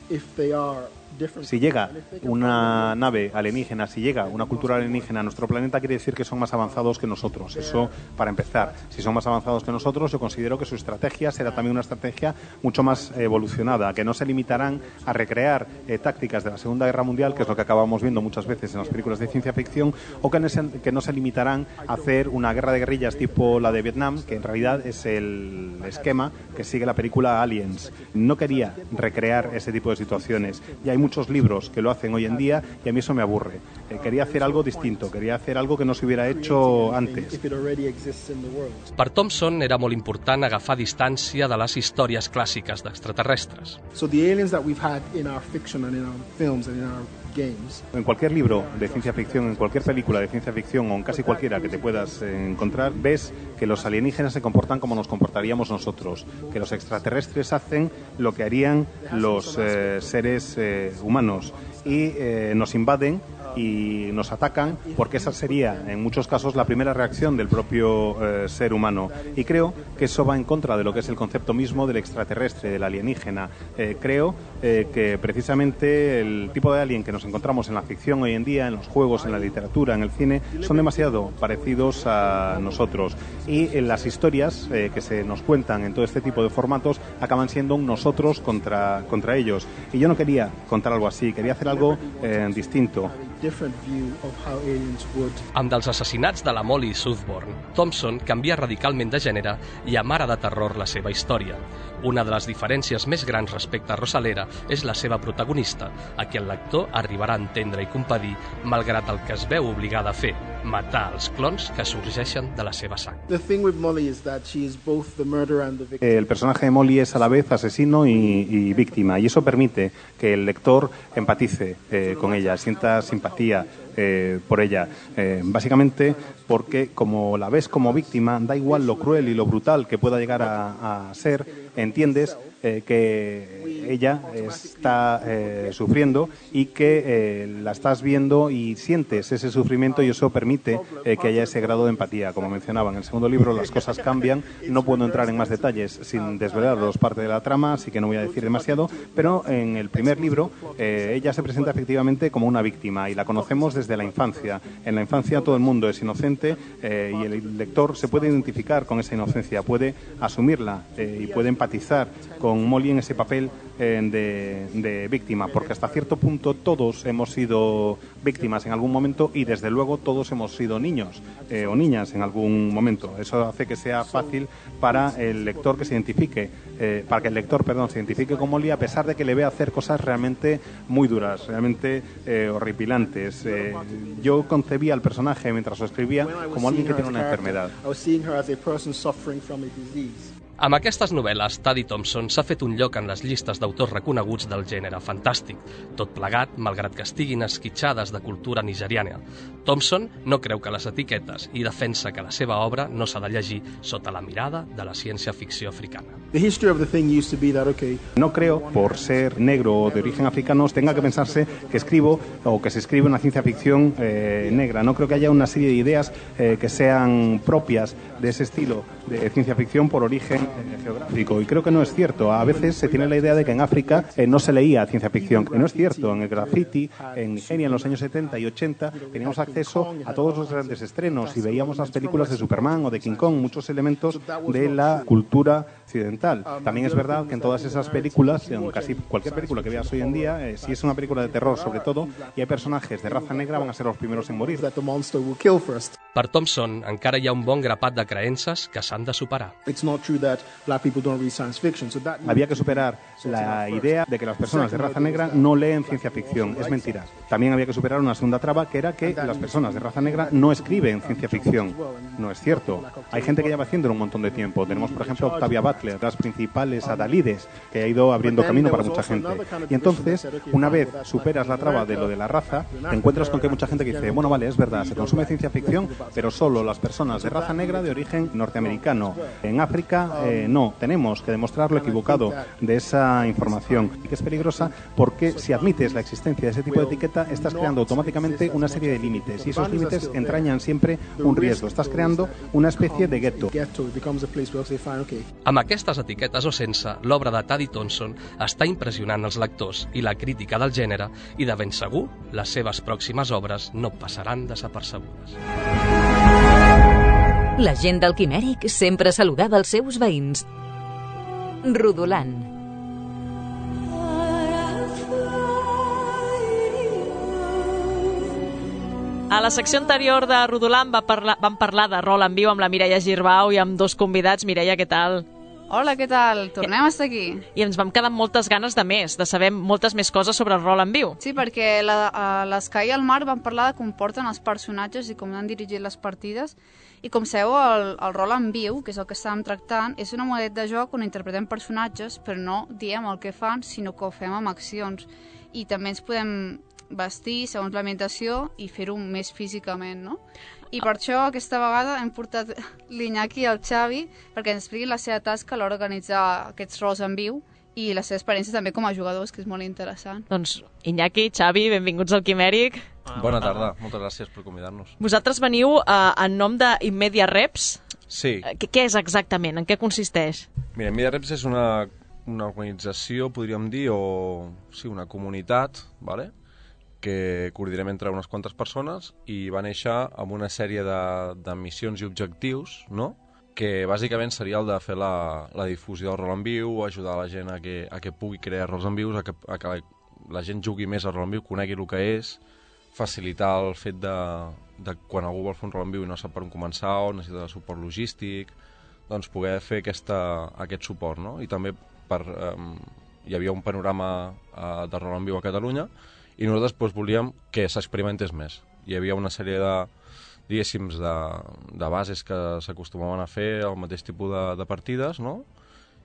if they are different, Si llega una nave alienígena, si llega una cultura alienígena a nuestro planeta, quiere decir que son más avanzados que nosotros. Eso para empezar. Si son más avanzados que nosotros, yo considero que su estrategia será también una estrategia mucho más evolucionada, que no se limitarán a recrear eh, tácticas de la Segunda Guerra Mundial, que es lo que acabamos viendo muchas veces en las películas de ciencia ficción, o que no se, que no se limitarán a hacer una guerra de guerrillas tipo la de Vietnam, que en realidad es el esquema que sigue la película Aliens. No quería recrear ese tipo de situaciones. Y hay muchos libros que lo hacen hoy en día y a mí eso me aburre. Eh, quería hacer algo distinto, quería hacer algo que no se hubiera hecho antes. if it already exists in the world. Per Thompson era molt important agafar distància de les històries clàssiques d'extraterrestres. So the aliens that we've had in our fiction and in our films and in our games, En cualquier libro de ciencia ficción, en cualquier película de ciencia ficción o en casi cualquiera que te puedas eh, encontrar, ves que los alienígenas se comportan como nos comportaríamos nosotros, que los extraterrestres hacen lo que harían los eh, seres eh, humanos y eh, nos invaden y nos atacan, porque esa sería en muchos casos la primera reacción del propio eh, ser humano. Y creo que eso va en contra de lo que es el concepto mismo del extraterrestre, del alienígena. Eh, creo eh, que precisamente el tipo de alien que nos encontramos en la ficción hoy en día, en los juegos, en la literatura, en el cine, son demasiado parecidos a nosotros. Y en las historias eh, que se nos cuentan en todo este tipo de formatos acaban siendo un nosotros contra, contra ellos. Y yo no quería contar algo así, quería hacer algo eh, distinto. different view of how aliens would. Amb dels assassinats de la Molly Southbourne, Thompson canvia radicalment de gènere i amara de terror la seva història. Una de les diferències més grans respecte a Rosalera és la seva protagonista, a qui el lector arribarà a entendre i compadir malgrat el que es veu obligada a fer, matar els clons que sorgeixen de la seva sang. The thing with Molly is that she is both the murderer and the victim. El personaje de Molly es a la vez asesino y, y víctima, y eso permite que el lector empatice eh, con ella, sienta simpatía eh, por ella. Eh, básicamente porque como la ves como víctima, da igual lo cruel y lo brutal que pueda llegar a, a ser, entiendes eh, que ella está eh, sufriendo y que eh, la estás viendo y sientes ese sufrimiento, y eso permite eh, que haya ese grado de empatía. Como mencionaba, en el segundo libro las cosas cambian. No puedo entrar en más detalles sin desvelaros parte de la trama, así que no voy a decir demasiado, pero en el primer libro eh, ella se presenta efectivamente como una víctima y la conocemos desde la infancia. En la infancia todo el mundo es inocente eh, y el lector se puede identificar con esa inocencia, puede asumirla eh, y puede empatizar con Molly en ese papel eh, de, de víctima, porque hasta cierto punto todos hemos sido víctimas en algún momento y desde luego todos hemos sido niños eh, o niñas en algún momento. Eso hace que sea fácil para el lector que se identifique, eh, para que el lector, perdón, se identifique con Molly, a pesar de que le vea hacer cosas realmente muy duras, realmente eh, horripilantes. Eh, yo concebía al personaje mientras lo escribía como alguien que tiene una enfermedad. Amb aquestes novel·les, Taddy Thompson s'ha fet un lloc en les llistes d'autors reconeguts del gènere fantàstic, tot plegat, malgrat que estiguin esquitxades de cultura nigeriana. Thompson no creu que les etiquetes i defensa que la seva obra no s'ha de llegir sota la mirada de la ciència-ficció africana. No creo, por ser negro o de origen africano, tenga que pensarse que escribo o que se escribe una ciencia ficción eh, negra. No creo que haya una serie de ideas eh, que sean propias de ese estilo de ciencia ficción por origen eh, geográfico, y creo que no es cierto. A veces se tiene la idea de que en África eh, no se leía ciencia ficción, que no es cierto. En el graffiti, en Nigeria en los años setenta y ochenta teníamos acceso a todos los grandes estrenos y veíamos las películas de Superman o de King Kong, muchos elementos de la cultura occidental. También es verdad que en todas esas películas, en casi cualquier película que veas hoy en día, eh, si es una película de terror sobre todo, y hay personajes de raza negra, van a ser los primeros en morir. Per Thompson, encara hi ha un bon grapat de creences que s'han de superar. Había que superar la idea de que las personas de raza negra no leen ciencia ficción. Es mentira. También había que superar una segunda traba, que era que las personas de raza negra no escriben ciencia ficción. No es cierto. Hay gente que lleva haciéndolo un montón de tiempo. Tenemos, por ejemplo, Octavia Butler, las principales adalides, que ha ido abriendo camino para mucha gente. Y entonces, una vez superas la traba de lo de la raza, te encuentras con que hay mucha gente que dice, bueno, vale, es verdad, se consume ciencia ficción, pero solo las personas de raza negra de origen norteamericano. En África, eh, no. Tenemos que demostrar lo equivocado de esa información, y que es peligrosa porque si admites la existencia de ese tipo de etiqueta, estás creando automáticamente una serie de límites, y esos límites entrañan siempre un riesgo. Estás creando una especie de gueto. Amb aquestes etiquetes o sense, l'obra de Taddy Thompson està impressionant els lectors i la crítica del gènere, i de ben segur, les seves pròximes obres no passaran desapercebudes. La gent del Quimèric sempre saludava els seus veïns. Rodolant. A la secció anterior de Rodolant va parlar, vam parlar de rol en viu amb la Mireia Girbau i amb dos convidats. Mireia, què tal? Hola, què tal? Tornem a estar aquí. I ens vam quedar amb moltes ganes de més, de saber moltes més coses sobre el rol en viu. Sí, perquè l'Eskai i el Marc van parlar de com porten els personatges i com han dirigit les partides. I com sabeu, el, el rol en viu, que és el que estàvem tractant, és una modalitat de joc on interpretem personatges, però no diem el que fan, sinó que ho fem amb accions. I també ens podem vestir segons l'ambientació i fer-ho més físicament, no? I per això aquesta vegada hem portat l'Iñaki i el Xavi perquè ens expliquin la seva tasca a l'hora d'organitzar aquests rols en viu i les seves experiències també com a jugadors, que és molt interessant. Doncs Iñaki, Xavi, benvinguts al Quimèric. Bona tarda, moltes gràcies per convidar-nos. Vosaltres veniu eh, en nom d'Immedia Reps. Sí. Què, què és exactament? En què consisteix? Mira, Immedia Reps és una, una organització, podríem dir, o sí, una comunitat, ¿vale?, que coordinem entre unes quantes persones i va néixer amb una sèrie de, de missions i objectius, no?, que bàsicament seria el de fer la, la difusió del rol en viu, ajudar la gent a que, a que pugui crear rols en vius, a que, a que la, la gent jugui més al rol en viu, conegui el que és, facilitar el fet de, de quan algú vol fer un rol en viu i no sap per on començar o necessita suport logístic, doncs poder fer aquesta, aquest suport, no? I també per, um, hi havia un panorama uh, de rol en viu a Catalunya i nosaltres doncs, volíem que s'experimentés més. Hi havia una sèrie de, diguéssim, de, de bases que s'acostumaven a fer el mateix tipus de, de partides, no?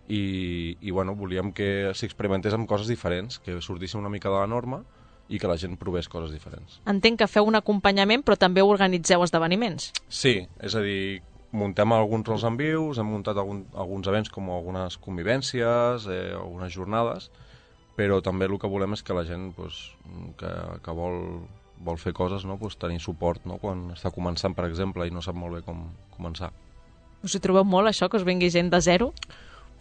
I, i bueno, volíem que s'experimentés amb coses diferents, que sortissin una mica de la norma i que la gent provés coses diferents. Entenc que feu un acompanyament, però també organitzeu esdeveniments. Sí, és a dir, muntem alguns rols en vius, hem muntat algun, alguns events com algunes convivències, eh, algunes jornades, però també el que volem és que la gent pues, que, que vol, vol fer coses, no? Pues, tenir suport, no? Quan està començant, per exemple, i no sap molt bé com començar. Us hi trobeu molt, això, que us vingui gent de zero?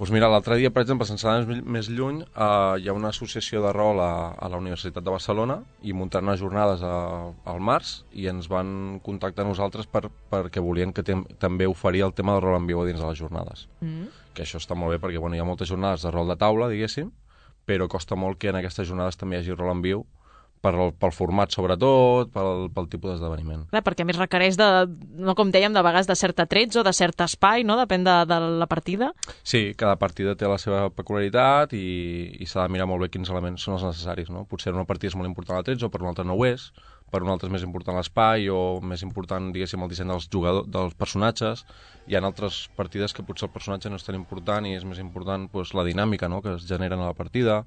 Pues mira, l'altre dia, per exemple, sense anar més lluny, eh, hi ha una associació de rol a, a la Universitat de Barcelona i muntant unes jornades a, al març i ens van contactar a nosaltres per, perquè volien que tem, també oferir el tema de rol en viu dins de les jornades. Mm. Que això està molt bé perquè bueno, hi ha moltes jornades de rol de taula, diguéssim, però costa molt que en aquestes jornades també hi hagi rol en viu per el, pel format sobretot, pel, pel tipus d'esdeveniment. Clar, perquè a més requereix, de, no com dèiem, de vegades de cert atrets o de cert espai, no? Depèn de, de la partida. Sí, cada partida té la seva peculiaritat i, i s'ha de mirar molt bé quins elements són els necessaris, no? Potser una partida és molt important l'atrets o per una altra no ho és, per una altra és més important l'espai o més important, diguéssim, el disseny dels jugadors, dels personatges. Hi ha altres partides que potser el personatge no és tan important i és més important pues, la dinàmica, no? Que es genera en la partida.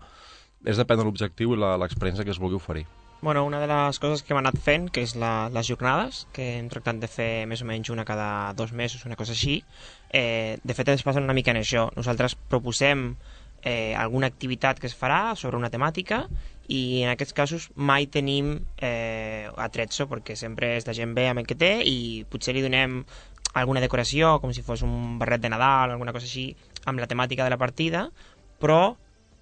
És depèn de l'objectiu i l'experiència que es vulgui oferir. Bueno, una de les coses que hem anat fent, que és la, les jornades, que hem tractat de fer més o menys una cada dos mesos, una cosa així, eh, de fet ens passen una mica en això. Nosaltres proposem eh, alguna activitat que es farà sobre una temàtica i en aquests casos mai tenim eh, atrezzo, perquè sempre és la gent ve amb el que té i potser li donem alguna decoració, com si fos un barret de Nadal, alguna cosa així, amb la temàtica de la partida, però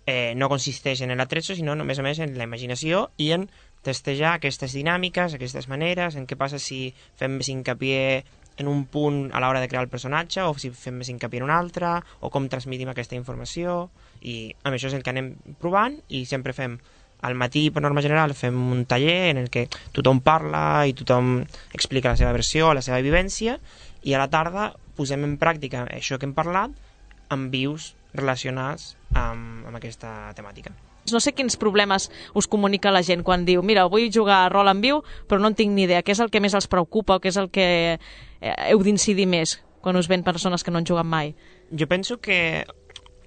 Eh, no consisteix en l'atrezzo, sinó només a més en la imaginació i en testejar aquestes dinàmiques, aquestes maneres, en què passa si fem més hincapié en un punt a l'hora de crear el personatge o si fem més hincapié en un altre, o com transmitim aquesta informació, i amb això és el que anem provant i sempre fem al matí, per norma general, fem un taller en el que tothom parla i tothom explica la seva versió, la seva vivència, i a la tarda posem en pràctica això que hem parlat amb vius relacionats amb, amb aquesta temàtica. No sé quins problemes us comunica la gent quan diu mira, vull jugar a rol en viu però no en tinc ni idea. Què és el que més els preocupa o què és el que heu d'incidir més quan us ven persones que no han jugat mai? Jo penso que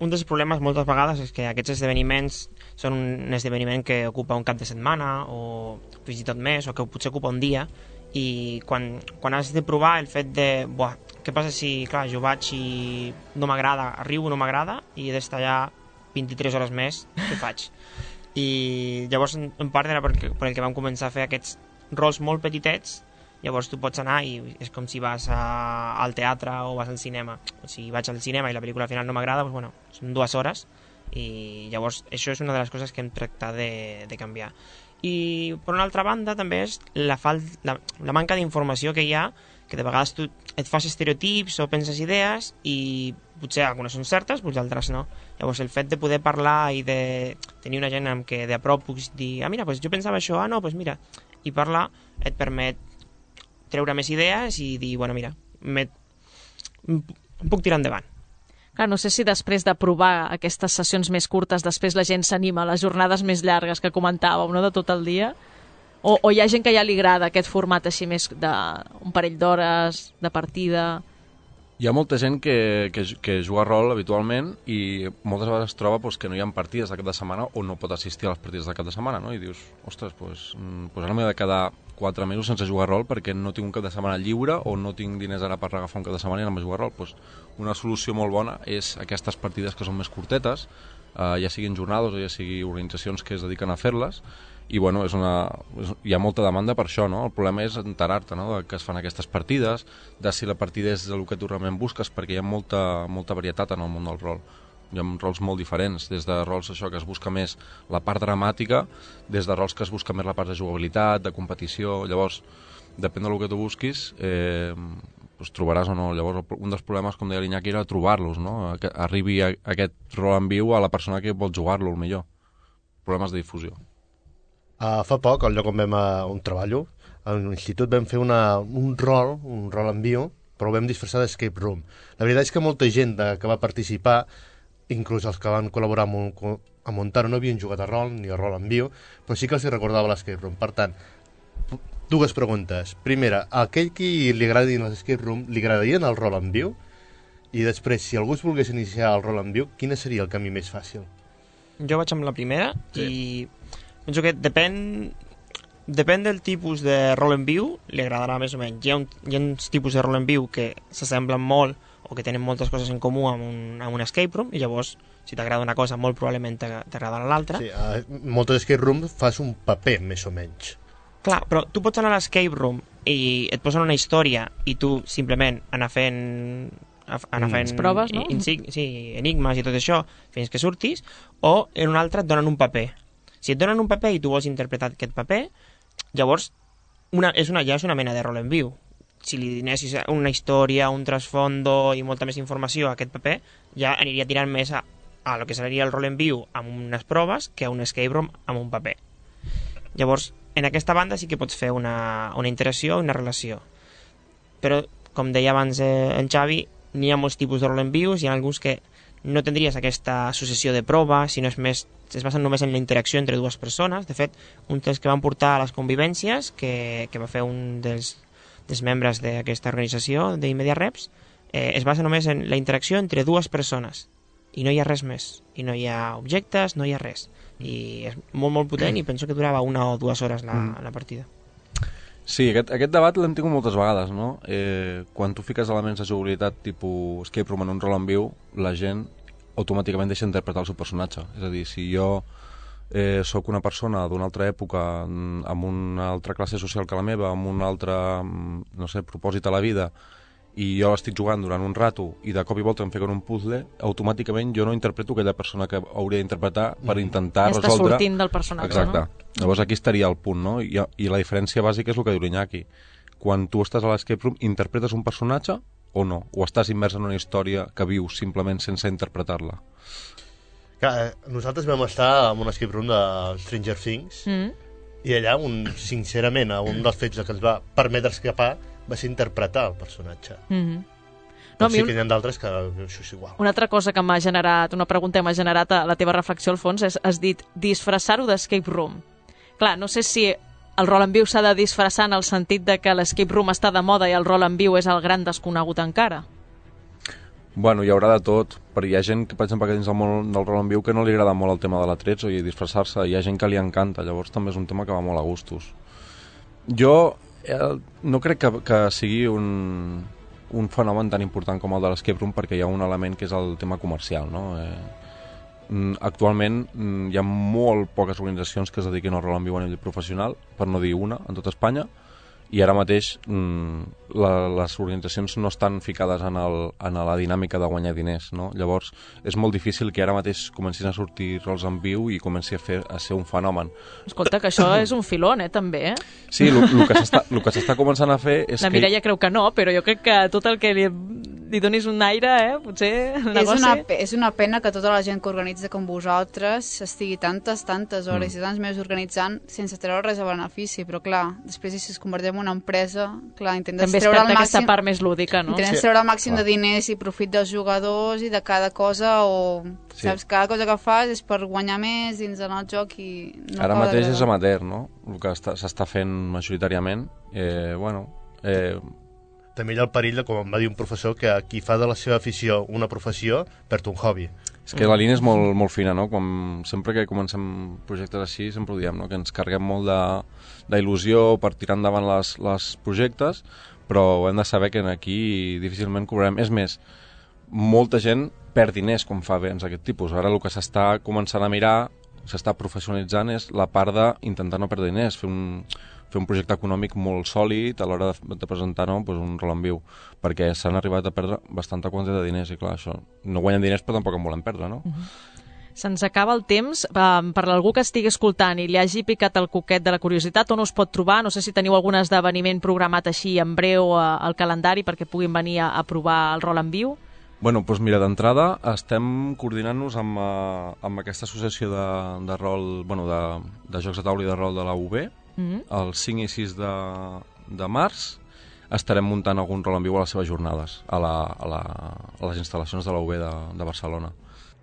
un dels problemes moltes vegades és que aquests esdeveniments són un esdeveniment que ocupa un cap de setmana o fins i tot més o que potser ocupa un dia i quan, quan has de provar el fet de buah, què passa si, clar, jo vaig i no m'agrada, arribo, no m'agrada i he d'estar allà vint-i-tres hores més, què faig? I llavors en part era per, per el que vam començar a fer aquests rols molt petitets, llavors tu pots anar i és com si vas a, al teatre o vas al cinema. Si vaig al cinema i la pel·lícula al final no m'agrada, doncs bueno, són dues hores i llavors això és una de les coses que hem tractat de, de canviar. I per una altra banda també és la, fal la, la manca d'informació que hi ha, que de vegades tu et fas estereotips o penses idees i potser algunes són certes, potser altres no. Llavors el fet de poder parlar i de tenir una gent amb què de a prop puguis dir ah mira, pues jo pensava això, ah no, pues mira, i parlar et permet treure més idees i dir, bueno mira, em puc tirar endavant. Clar, no sé si després de provar aquestes sessions més curtes, després la gent s'anima a les jornades més llargues que comentàveu, no?, de tot el dia, o, o hi ha gent que ja li agrada aquest format així més d'un parell d'hores, de partida... Hi ha molta gent que, que, que juga a rol habitualment i moltes vegades es troba pues, que no hi ha partides de cap de setmana o no pot assistir a les partides de cap de setmana, no? I dius, ostres, pues, pues ara m'he de quedar quatre mesos sense jugar a rol perquè no tinc un cap de setmana lliure o no tinc diners ara per agafar un cap de setmana i anar a jugar a rol. Pues, una solució molt bona és aquestes partides que són més curtetes, eh, ja siguin jornades o ja sigui organitzacions que es dediquen a fer-les, i bueno, és una, és, hi ha molta demanda per això, no? El problema és enterar-te, no?, de que es fan aquestes partides, de si la partida és el que tu realment busques, perquè hi ha molta, molta varietat en el món del rol. Hi ha rols molt diferents, des de rols això que es busca més la part dramàtica, des de rols que es busca més la part de jugabilitat, de competició. Llavors, depèn del que tu busquis, eh, pues, trobaràs o no. Llavors, un dels problemes, com deia l'Iñaki, era trobar-los, no?, que arribi a, a aquest rol en viu a la persona que vol jugar-lo, el millor. Problemes de difusió. Uh, fa poc, al lloc on vam uh, on treballo, a l'institut vam fer una, un rol, un rol en viu, però ho vam disfressar d'escape room. La veritat és que molta gent de, que va participar, inclús els que van col·laborar amb, a muntar-ho, no havien jugat a rol ni a rol en viu, però sí que els recordava l'escape room. Per tant, dues preguntes. Primera, a aquell qui li agradin les escape room, li agradarien el rol en viu? I després, si algú es volgués iniciar el rol en viu, quin seria el camí més fàcil? Jo vaig amb la primera, sí. I penso que depèn Depèn del tipus de rol en viu, li agradarà més o menys. Hi ha, un, hi ha uns tipus de rol en viu que s'assemblen molt o que tenen moltes coses en comú amb un, amb un escape room, i llavors, si t'agrada una cosa, molt probablement t'agradarà l'altra. Sí, a moltes escape rooms fas un paper, més o menys. Clar, però tu pots anar a l'escape room i et posen una història i tu simplement anar fent... anar fent mm. proves, no? Insig, sí, enigmes i tot això fins que surtis, o en un altre et donen un paper. Si et donen un paper i tu vols interpretar aquest paper, llavors una, és una, ja és una mena de rol en viu. Si li donessis una història, un trasfondo i molta més informació a aquest paper, ja aniria tirant més a, a lo que seria el rol en viu amb unes proves que a un escape room amb un paper. Llavors, en aquesta banda sí que pots fer una, una interacció, una relació. Però, com deia abans eh, en Xavi, n'hi ha molts tipus de rol en vius, hi ha alguns que no tindries aquesta successió de prova, sinó és més, es basen només en la interacció entre dues persones. De fet, un dels que van portar a les convivències, que, que va fer un dels, dels membres d'aquesta organització d'Immediareps, eh, es basa només en la interacció entre dues persones, i no hi ha res més, i no hi ha objectes, no hi ha res, i és molt molt potent, i penso que durava una o dues hores la, la partida. Sí, aquest, aquest debat l'hem tingut moltes vegades, no? Eh, quan tu fiques elements de jugabilitat tipus escape room en un rol en viu, la gent automàticament deixa d'interpretar el seu personatge. És a dir, si jo eh, sóc una persona d'una altra època, amb una altra classe social que la meva, amb un altre, no sé, propòsit a la vida, i jo estic jugant durant un rato i de cop i volta em fiquen un puzzle, automàticament jo no interpreto aquella persona que hauria d'interpretar per intentar ja resoldre... Està sortint del personatge, exacte. No? Llavors aquí estaria el punt, no? I, I la diferència bàsica és el que diu l'Iñaki. Quan tu estàs a l'escape room, interpretes un personatge o no? O estàs immers en una història que vius simplement sense interpretar-la? Clar, nosaltres vam estar en un escape room de Stranger Things mm. i allà, un, sincerament, un dels fets que ens va permetre escapar va ser interpretar el personatge. Mm-hmm. No, sí que n'hi ha d'altres que això és igual. Una altra cosa que m'ha generat, una pregunta que m'ha generat a la teva reflexió al fons és, has dit, disfressar-ho d'escape room. Clar, no sé si el rol en viu s'ha de disfressar en el sentit de que l'escape room està de moda i el rol en viu és el gran desconegut encara. Bueno, hi haurà de tot, però hi ha gent que, per exemple, que dins del món del rol en viu que no li agrada molt el tema de l'atrets o disfressar-se, hi ha gent que li encanta, llavors també és un tema que va molt a gustos. Jo eh, no crec que, que sigui un, un fenomen tan important com el de l'escape room, perquè hi ha un element que és el tema comercial, no? Eh, actualment hi ha molt poques organitzacions que es dediquin al rol en viu a nivell professional, per no dir una, en tot Espanya, i ara mateix la, les organitzacions no estan ficades en, el, en la dinàmica de guanyar diners, no? Llavors és molt difícil que ara mateix comencin a sortir rols en viu i comenci a, fer, a ser un fenomen. Escolta, que això és un filón, eh, també, eh? Sí, el que s'està començant a fer és la que... La Mireia creu que no, però jo crec que tot el que li, li donis un aire, eh, potser el negoci... És una, és una pena que tota la gent que organitza com vosaltres estigui tantes, tantes hores mm. i tants mesos organitzant sense treure res a benefici, però clar, després si es convertim en una empresa, clar, intentes també treure el màxim... aquesta part més lúdica, no? Intentes sí. treure el màxim ah. de diners i profit dels jugadors i de cada cosa, o sí. saps, cada cosa que fas és per guanyar més dins del joc i... No ara mateix és amateur, no? El que s'està fent majoritàriament, eh, bueno... Eh... També hi ha el perill, de, com em va dir un professor, que qui fa de la seva afició una professió perd un hobby. És que la línia és molt, molt fina, no? Quan, sempre que comencem projectes així, sempre ho diem, no? Que ens carreguem molt d'il·lusió per tirar endavant les, les projectes, però hem de saber que aquí difícilment cobrarem. És més, molta gent perd diners quan fa béns d'aquest tipus. Ara el que s'està començant a mirar, s'està professionalitzant, és la part d'intentar no perdre diners, fer un, fer un projecte econòmic molt sòlid a l'hora de, de presentar no, doncs un rol en viu, perquè s'han arribat a perdre bastanta quantitat de diners, i clar, això no guanyen diners però tampoc en volen perdre, no? Uh-huh. Se'ns acaba el temps. Um, per algú que estigui escoltant i li hagi picat el coquet de la curiositat, on us pot trobar? No sé si teniu algun esdeveniment programat així en breu uh, al calendari perquè puguin venir a, a provar el rol en viu. Bueno, doncs mira, d'entrada estem coordinant-nos amb, uh, amb aquesta associació de, de rol, bueno, de, de jocs de taula i de rol de la U B. Mm-hmm. El cinc i sis de, de març estarem muntant algun rol en viu a les seves jornades, a, la, a, la, a les instal·lacions de la U B de, de Barcelona.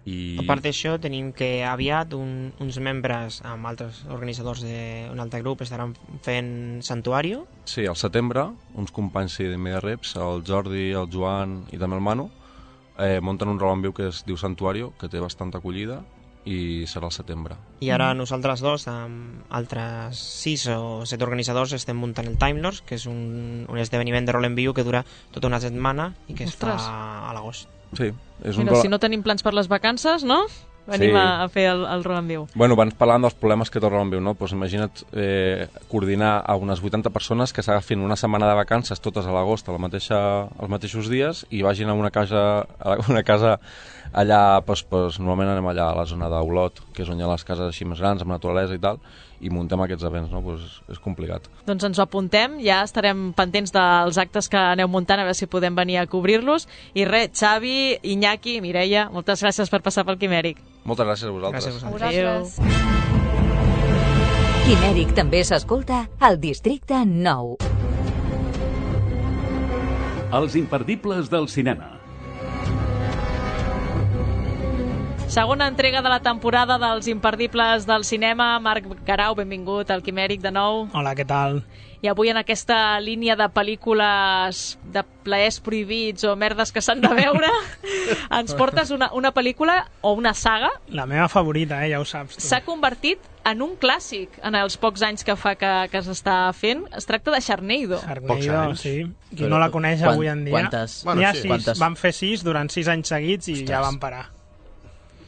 I... A part d'això, tenim que aviat un, uns membres amb altres organitzadors d'un altre grup estaran fent Santuario. Sí, al setembre, uns companys sí, d'Immediareps, el Jordi, el Joan i també el Manu, eh, munten un rol en viu que es diu Santuario, que té bastanta acollida, i serà al setembre. I ara nosaltres dos, amb altres sis o set organitzadors, estem muntant el Time Lords, que és un, un esdeveniment de rol en viu que dura tota una setmana i que Ostres. es fa a l'agost. Sí, és un Mira, rol... si no tenim plans per les vacances, no? Venim Sí. a, a fer el, el rol en viu. Bueno, abans parlant dels problemes que té el rol en viu, no? Pues imagina't eh, coordinar a unes vuitanta persones que s'agafin una setmana de vacances totes a l'agost a la mateixa, als mateixos dies i vagin a una casa, a una casa allà, pues, pues, normalment anem allà a la zona d'Olot, que és on hi ha les cases així més grans, amb naturalesa i tal, i muntem aquests events, no? Pues és complicat. Doncs ens ho apuntem, ja estarem pendents dels actes que aneu muntant, a veure si podem venir a cobrir-los. I res, Xavi, Iñaki, Mireia, moltes gràcies per passar pel Quimèric. Moltes gràcies a vosaltres. Gràcies a vosaltres. Adéu. Quimèric també s'escolta al Districte nou. Els imperdibles del cinema. Segona entrega de la temporada dels imperdibles del cinema. Marc Garau, benvingut al Quimèric de nou. Hola, què tal? I avui en aquesta línia de pel·lícules de plaers prohibits o merdes que s'han de veure, ens portes una, una pel·lícula o una saga. La meva favorita, eh, ja ho saps tu. S'ha convertit en un clàssic en els pocs anys que fa que, que s'està fent. Es tracta de Sharknado. Sharknado, sí. Qui Però no la coneix quan- avui en dia. quantes? Bueno, Bueno, sí. sí. Quantes? Van fer sis durant sis anys seguits i Ostres. ja van parar.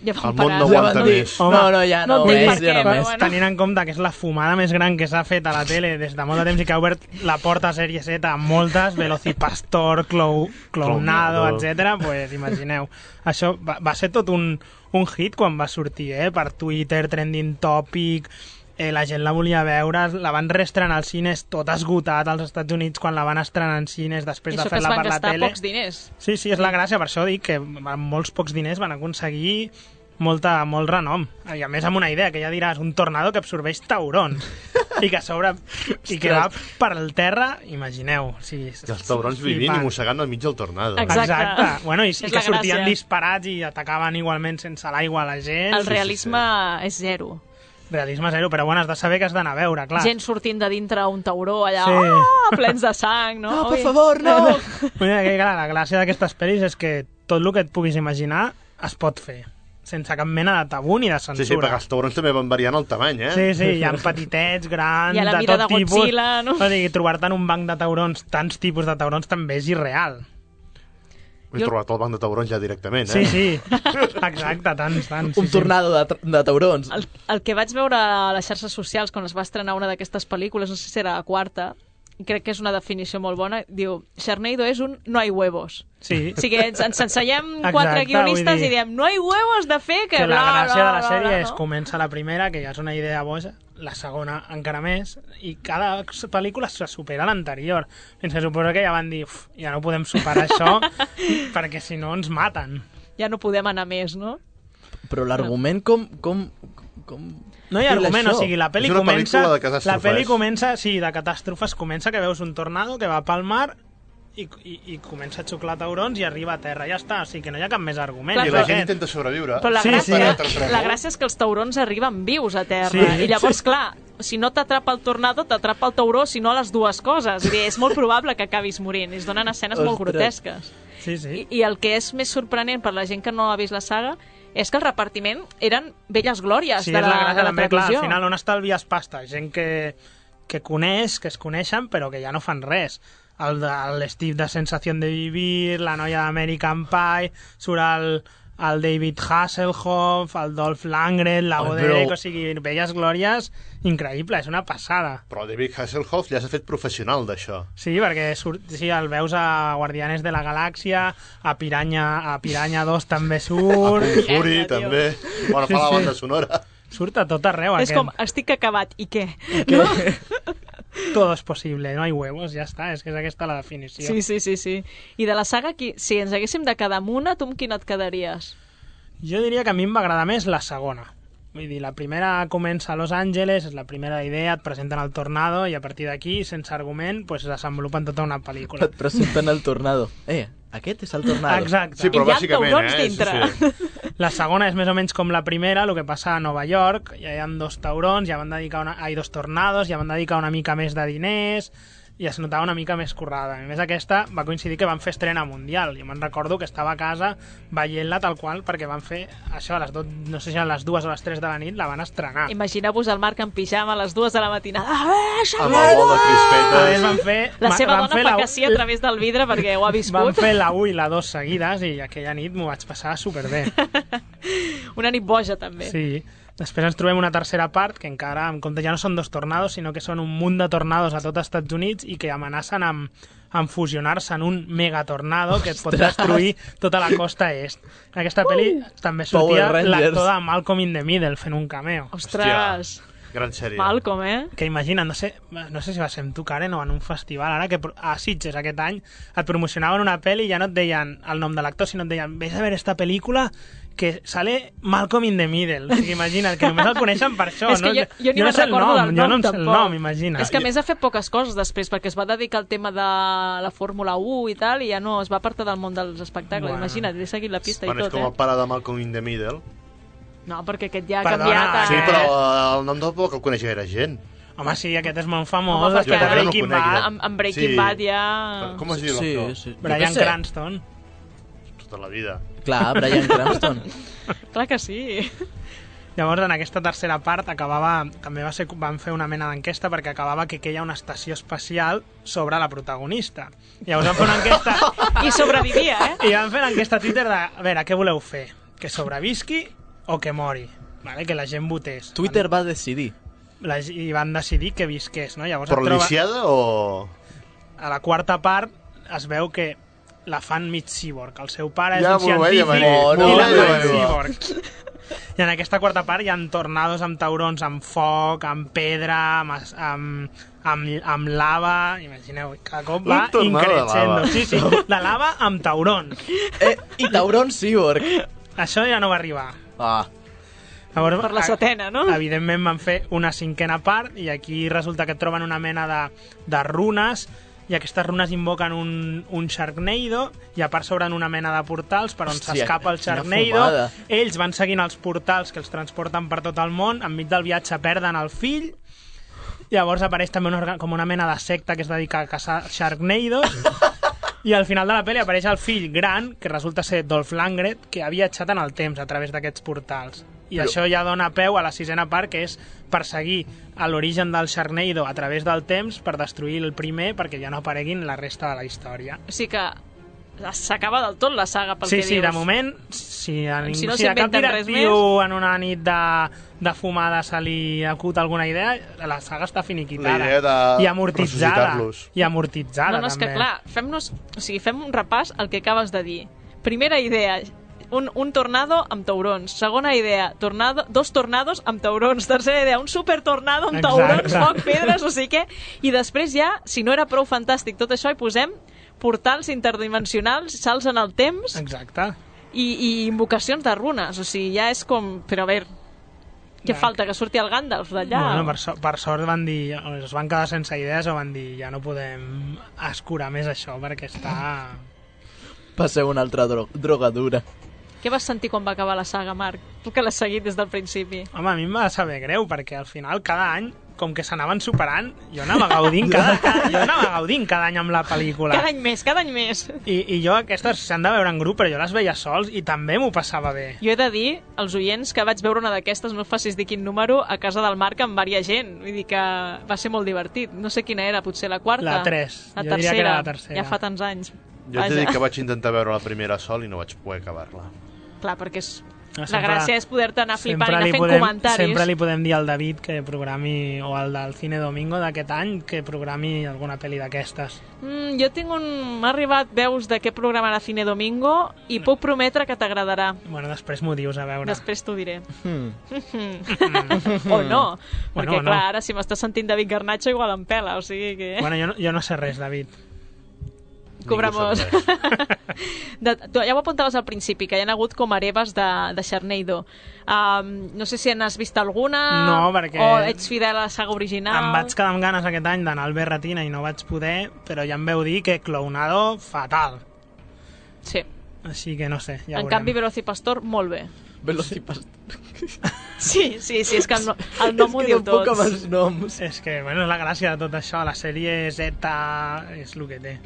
Ja van El món parar. no aguanta No, més. no, no, no, ja no, no entenc més, per ja què, no però més. bueno. Tenint en compte que és la fumada més gran que s'ha fet a la tele des de molt de temps i que ha obert la porta a Sèrie Z a moltes, Velocipastor, Clou, Clownado, Clownado. etcètera. Pues imagineu. Això va, va ser tot un, un hit quan va sortir, eh? Per Twitter, trending topic, eh, la gent la volia veure, la van reestrenar als cines tot esgotat als Estats Units quan la van estrenar en cines després I de això que es fer-la van per la gastar tele. pocs diners. Sí, sí, és la gràcia, per això dic que amb molts pocs diners van aconseguir molta, molt renom. I a més amb una idea, que ja diràs, un tornado que absorbeix taurons i que a sobre i que va per al terra, imagineu. O sigui, I els taurons vivint i mossegant al mig del tornado. Exacte. Exacte. Bueno, i, És i la que sortien gràcia. disparats i atacaven igualment sense l'aigua a la gent. El realisme és zero. Realisme zero, però bueno, has de saber que has d'anar a veure, clar. Gent sortint de dintre un tauró allà, Sí. oh, plens de sang, no? No, per Ui. favor, no! Mira, que, clar, la gràcia d'aquestes pel·lis és que tot el que et puguis imaginar es pot fer, sense cap mena de tabú ni de Sí, sí, censura. perquè els taurons també van variant el tamany, eh? Sí, sí, hi ha petitets, grans, I a la de mida tot de tipus. Godzilla, no? O sigui, trobar-te en un banc de taurons, tants tipus de taurons, també és irreal. He trobat el banc de taurons ja directament, Sí, eh? sí, exacte, tants, tants. Un sí, tornado de, tra- de taurons. El, el que vaig veure a les xarxes socials quan es va estrenar una d'aquestes pel·lícules, no sé si era la quarta, i crec que és una definició molt bona, diu, Sharknado és un no hay huevos. Sí. O sigui, ens, ens ensenyem Exacte, quatre guionistes vull dir i diem, no hay huevos de fer que, Que la bla, gràcia bla, de la bla, sèrie bla, és no? comença la primera, que ja és una idea boja, la segona encara més, i cada pel·lícula se supera l'anterior. Fins que suposo que ja van dir, uf, ja no podem superar això, perquè si no ens maten. Ja no podem anar més, no? Però l'argument com... com, com... No hi ha fila argument, això? o sigui, la pel·li És una comença... pel·lícula de catàstrofes. La pel·li comença, sí, de catàstrofes, comença que veus un tornado que va pel mar i, i, i comença a xuclar taurons i arriba a terra, ja està, o sigui que no hi ha cap més argument. Clar, I la però- gent intenta sobreviure. Però la, Sí, gràcia, sí. la gràcia és que els taurons arriben vius a terra. Sí. I llavors, clar, si no t'atrapa el tornado, t'atrapa el tauró, si no les dues coses. Vull dir, és molt probable que acabis morint. I es donen escenes molt Ostres. grotesques. Sí, sí. I, I el que és més sorprenent per la gent que no ha vist la saga és que el repartiment eren velles glòries Sí, de és la la, gràcia de la també, clar, televisió. al final on estalvies pasta? Gent que, que coneix, que es coneixen, però que ja no fan res. El de l'Steve de Sensación de Vivir, la noia d'American Pie, surt el, el David Hasselhoff, el Dolph Lundgren, la Ai, Goderic, però- o sigui, velles glòries, increïble, és una passada. Però David Hasselhoff ja s'ha fet professional d'això. Sí, perquè surt, sí, el veus a Guardianes de la Galàxia, a Piranha, a Piranha dos també A surt, Kung Fury, també. Bueno, fa la Sí, sí. banda sonora. surt a tot arreu. És aquest. com, estic acabat, i què? No? Todo es posible, no hay huevos, ja està, és que és aquesta la definició. Sí, sí, sí, sí. I de la saga, qui, si ens haguéssim de quedar amb una, tu amb quina et quedaries? Jo diria que a mi em va agradar més la segona. Vull dir, la primera comença a Los Angeles, és la primera idea, et presenten el tornado i a partir d'aquí, sense argument, pues, desenvolupen tota una pel·lícula. Et presenten el tornado. Eh, aquest és el tornado. Exacte. Sí, però I hi ha bàsicament, taurons eh? dintre. Sí, sí. La segona és més o menys com la primera, el que passa a Nova York, ja hi ha dos taurons, ja van dedicar una... ai, dos tornados, ja van dedicar una mica més de diners, i es notava una mica més currada. A més, aquesta va coincidir que van fer estrena mundial. Jo me'n recordo que estava a casa veient-la tal qual, perquè van fer això a les dos, no sé si a les dues o les tres de la nit, la van estrenar. Imagineu-vos el Marc en pijama a les dues de la matinada. Ah, amb el bol de crispetes. A més, van fer... La seva van dona fer fa la... que sí a través del vidre perquè ho ha viscut. Van fer la u i la dos seguides i aquella nit m'ho vaig passar superbé. Una nit boja, també. Sí. Després ens trobem una tercera part, que encara, en compte, ja no són dos tornados, sinó que són un munt de tornados a tot els Estats Units i que amenacen amb, amb fusionar-se en un megatornado que et pot destruir tota la costa est. En aquesta pel·li uh, també sortia l'actor de Malcolm in the Middle fent un cameo. Ostres! Gran sèrie. Malcolm, eh? Que imagina, no sé, no sé si va ser amb tu, Karen, o en un festival, ara que a Sitges aquest any et promocionaven una pel·li i ja no et deien el nom de l'actor, sinó et deien, ves a veure esta pel·lícula que sale Malcolm in the Middle. O sigui, imagina't, que només el coneixen per això. És que no? jo, jo ni jo me'n no sé el recordo nom, del nom, jo no em sé tampoc. el nom, imagina. És que a més ha fet poques coses després, perquè es va dedicar al tema de la Fórmula u i tal, i ja no, es va apartar del món dels espectacles. Bueno. Imagina't, he seguit la pista bueno, i tot, és com eh? el pare de Malcolm in the Middle. No, perquè aquest ja ha Perdona, canviat. A... Sí, però el nom del poc el coneix gaire gent. Home, sí, aquest és molt famós. Home, Després de perquè Breaking no Bad. amb, amb Breaking Sí. Bad ja... Com es diu Sí, l'actor? sí. Bryan Cranston. Tota la vida. Clar, Bryan Cranston. Clar que sí. Llavors, en aquesta tercera part acabava, també va ser, van fer una mena d'enquesta perquè acabava que queia una estació espacial sobre la protagonista. Llavors van fer una enquesta... I sobrevivia, eh? I van fer l'enquesta a Twitter de, a veure, què voleu fer? Que sobrevisqui o que mori? Vale? Que la gent votés. Twitter va decidir. La, I van decidir que visqués, no? Llavors Però et troba- lisiada o...? A la quarta part es veu que la fan mig cyborg. El seu pare és Ja un m'ho veia científic venir. i No, la no, fan no, no. cyborg. I en aquesta quarta part hi ha tornados amb taurons, amb foc, amb pedra, amb, es- amb, amb, amb lava... Imagineu, cada cop va Un tornado de increixendo. lava. Sí, sí, de lava amb taurons. Eh, I taurons cyborg. Això ja no va arribar. Ah. Llavors, Per la setena, no? Evidentment van fer una cinquena part i aquí resulta que troben una mena de, de runes i aquestes runes invoquen un, un Sharknado i a part s'obren una mena de portals per on Hòstia, s'escapa el quina Sharknado. fumada. Ells van seguint els portals que els transporten per tot el món, enmig del viatge perden el fill. Llavors apareix també una, orga- com una mena de secta que es dedica a caçar Sharknados. I al final de la pel·li apareix el fill gran, que resulta ser Dolph Lundgren, que ha viatjat en el temps a través d'aquests portals. I Però- això ja dona peu a la sisena part, que és perseguir a l'origen del Sharknado a través del temps per destruir el primer perquè ja no apareguin la resta de la història. O sigui que s'acaba del tot la saga, pel Sí, que sí, dius. de moment, si a, ningú, Si no si a cap s'inventen res directiu en una nit de, de fumada se li acut alguna idea, la saga està finiquitada. La idea de I amortitzada. ressuscitar-los. I amortitzada, No, no, és que també. clar, fem-nos, o sigui, fem un repàs al que acabes de dir. Primera idea, un, un tornado amb taurons. Segona idea, tornado, dos tornados amb taurons. Tercera idea, un supertornado amb Exacte. taurons, foc, pedres, no sé què. I després ja, si no era prou fantàstic tot això, hi posem portals interdimensionals, salts en el temps Exacte. i, i invocacions de runes. O sigui, ja és com... Però a veure, què Ja. falta? Que surti el Gandalf d'allà? Bueno, per, so per sort van dir, es van quedar sense idees o van dir ja no podem escurar més això perquè està... Passeu una altra dro drogadura. Què vas sentir quan va acabar la saga, Marc? Tu que l'has seguit des del principi. Home, a mi em va saber greu perquè al final cada any, com que s'anaven superant, jo anava gaudint cada, cada, jo anava gaudint cada any amb la pel·lícula. Cada any més, cada any més. I, i jo aquestes s'han de veure en grup, però jo les veia sols i també m'ho passava bé. Jo he de dir als oients que vaig veure una d'aquestes, no us facis dir quin número, a casa del Marc amb varia gent. Vull dir que va ser molt divertit. No sé quina era, potser la quarta? La tres. La Jo diria tercera. que era la tercera. Ja fa tants anys. Jo t'he dit que vaig intentar veure la primera sol i no vaig poder acabar-la. Clar, perquè és... No, la sempre- gràcia és poder-te anar flipant i Sempre anar li, fent podem, comentaris. sempre li podem dir al David que programi, o al del Cine Domingo d'aquest any, que programi alguna pel·li d'aquestes. Mm, jo tinc un... M'ha arribat veus de què programarà Cine Domingo i puc prometre que t'agradarà. Bueno, després m'ho dius, a veure. Després t'ho diré. Mm. O no. Bueno, Perquè, o no. clar, ara si m'estàs sentint David Garnacho igual em pela, o sigui que... Bueno, jo no, jo no sé res, David. Cobramos. De, tu ja ho apuntaves al principi, que hi ha hagut com hereves de, de Sharknado. Um, no sé si n'has vist alguna No, perquè- o ets fidel a la saga original. Em vaig quedar amb ganes aquest any d'anar al Berratina i no vaig poder, però ja em veu dir que Clownado, fatal. Sí. Així que no sé, ja En veurem. canvi, Velocipastor, molt bé. Velocipastor. Sí, sí, sí, és que el, no, el nom ho diu tot. Amb els noms. És que, bueno, és la gràcia de tot això. La sèrie Z és el que té.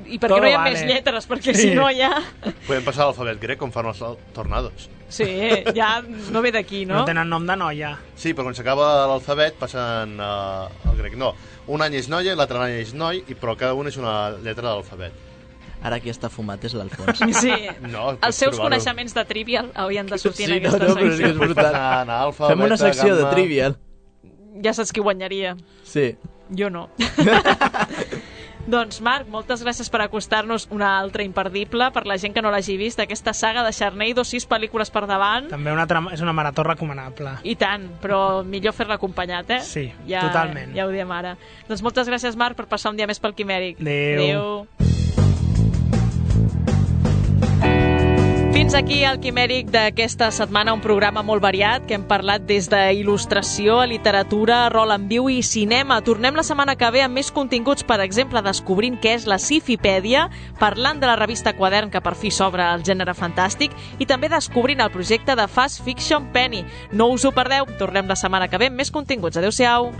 I per què no hi ha vale. més lletres? Perquè sí. si no ja... Podem passar a l'alfabet grec com fan els tornados. Sí, ja no ve d'aquí, no? No tenen nom de noia. Sí, però quan s'acaba l'alfabet passen uh, al grec. No, un any és noia, l'altre any és noi, i però cada un és una lletra de l'alfabet. Ara qui està fumat és l'Alfons. Sí, no, els seus coneixements de Trivial haurien de sortir sí, en aquesta no, no, secció. És brutal. Alfa, Fem una beta, secció gamma... de Trivial. Ja saps qui guanyaria. Sí. Jo no. Doncs, Marc, moltes gràcies per acostar-nos una altra imperdible, per la gent que no l'hagi vist, aquesta saga de Sharknado, sis pel·lícules per davant. També una altra, és una marató recomanable. I tant, però millor fer-la acompanyat, eh? Sí, ja, totalment. Ja ho diem ara. Doncs moltes gràcies, Marc, per passar un dia més pel Quimèric. Adéu. Adéu. Fins aquí el Quimèric d'aquesta setmana, un programa molt variat que hem parlat des d'il·lustració a literatura, rol en viu i cinema. Tornem la setmana que ve amb més continguts, per exemple, descobrint què és la Sifipèdia, parlant de la revista Quadern, que per fi s'obre al gènere fantàstic, i també descobrint el projecte de Fast Fiction Penny. No us ho perdeu, tornem la setmana que ve amb més continguts. Adéu-siau.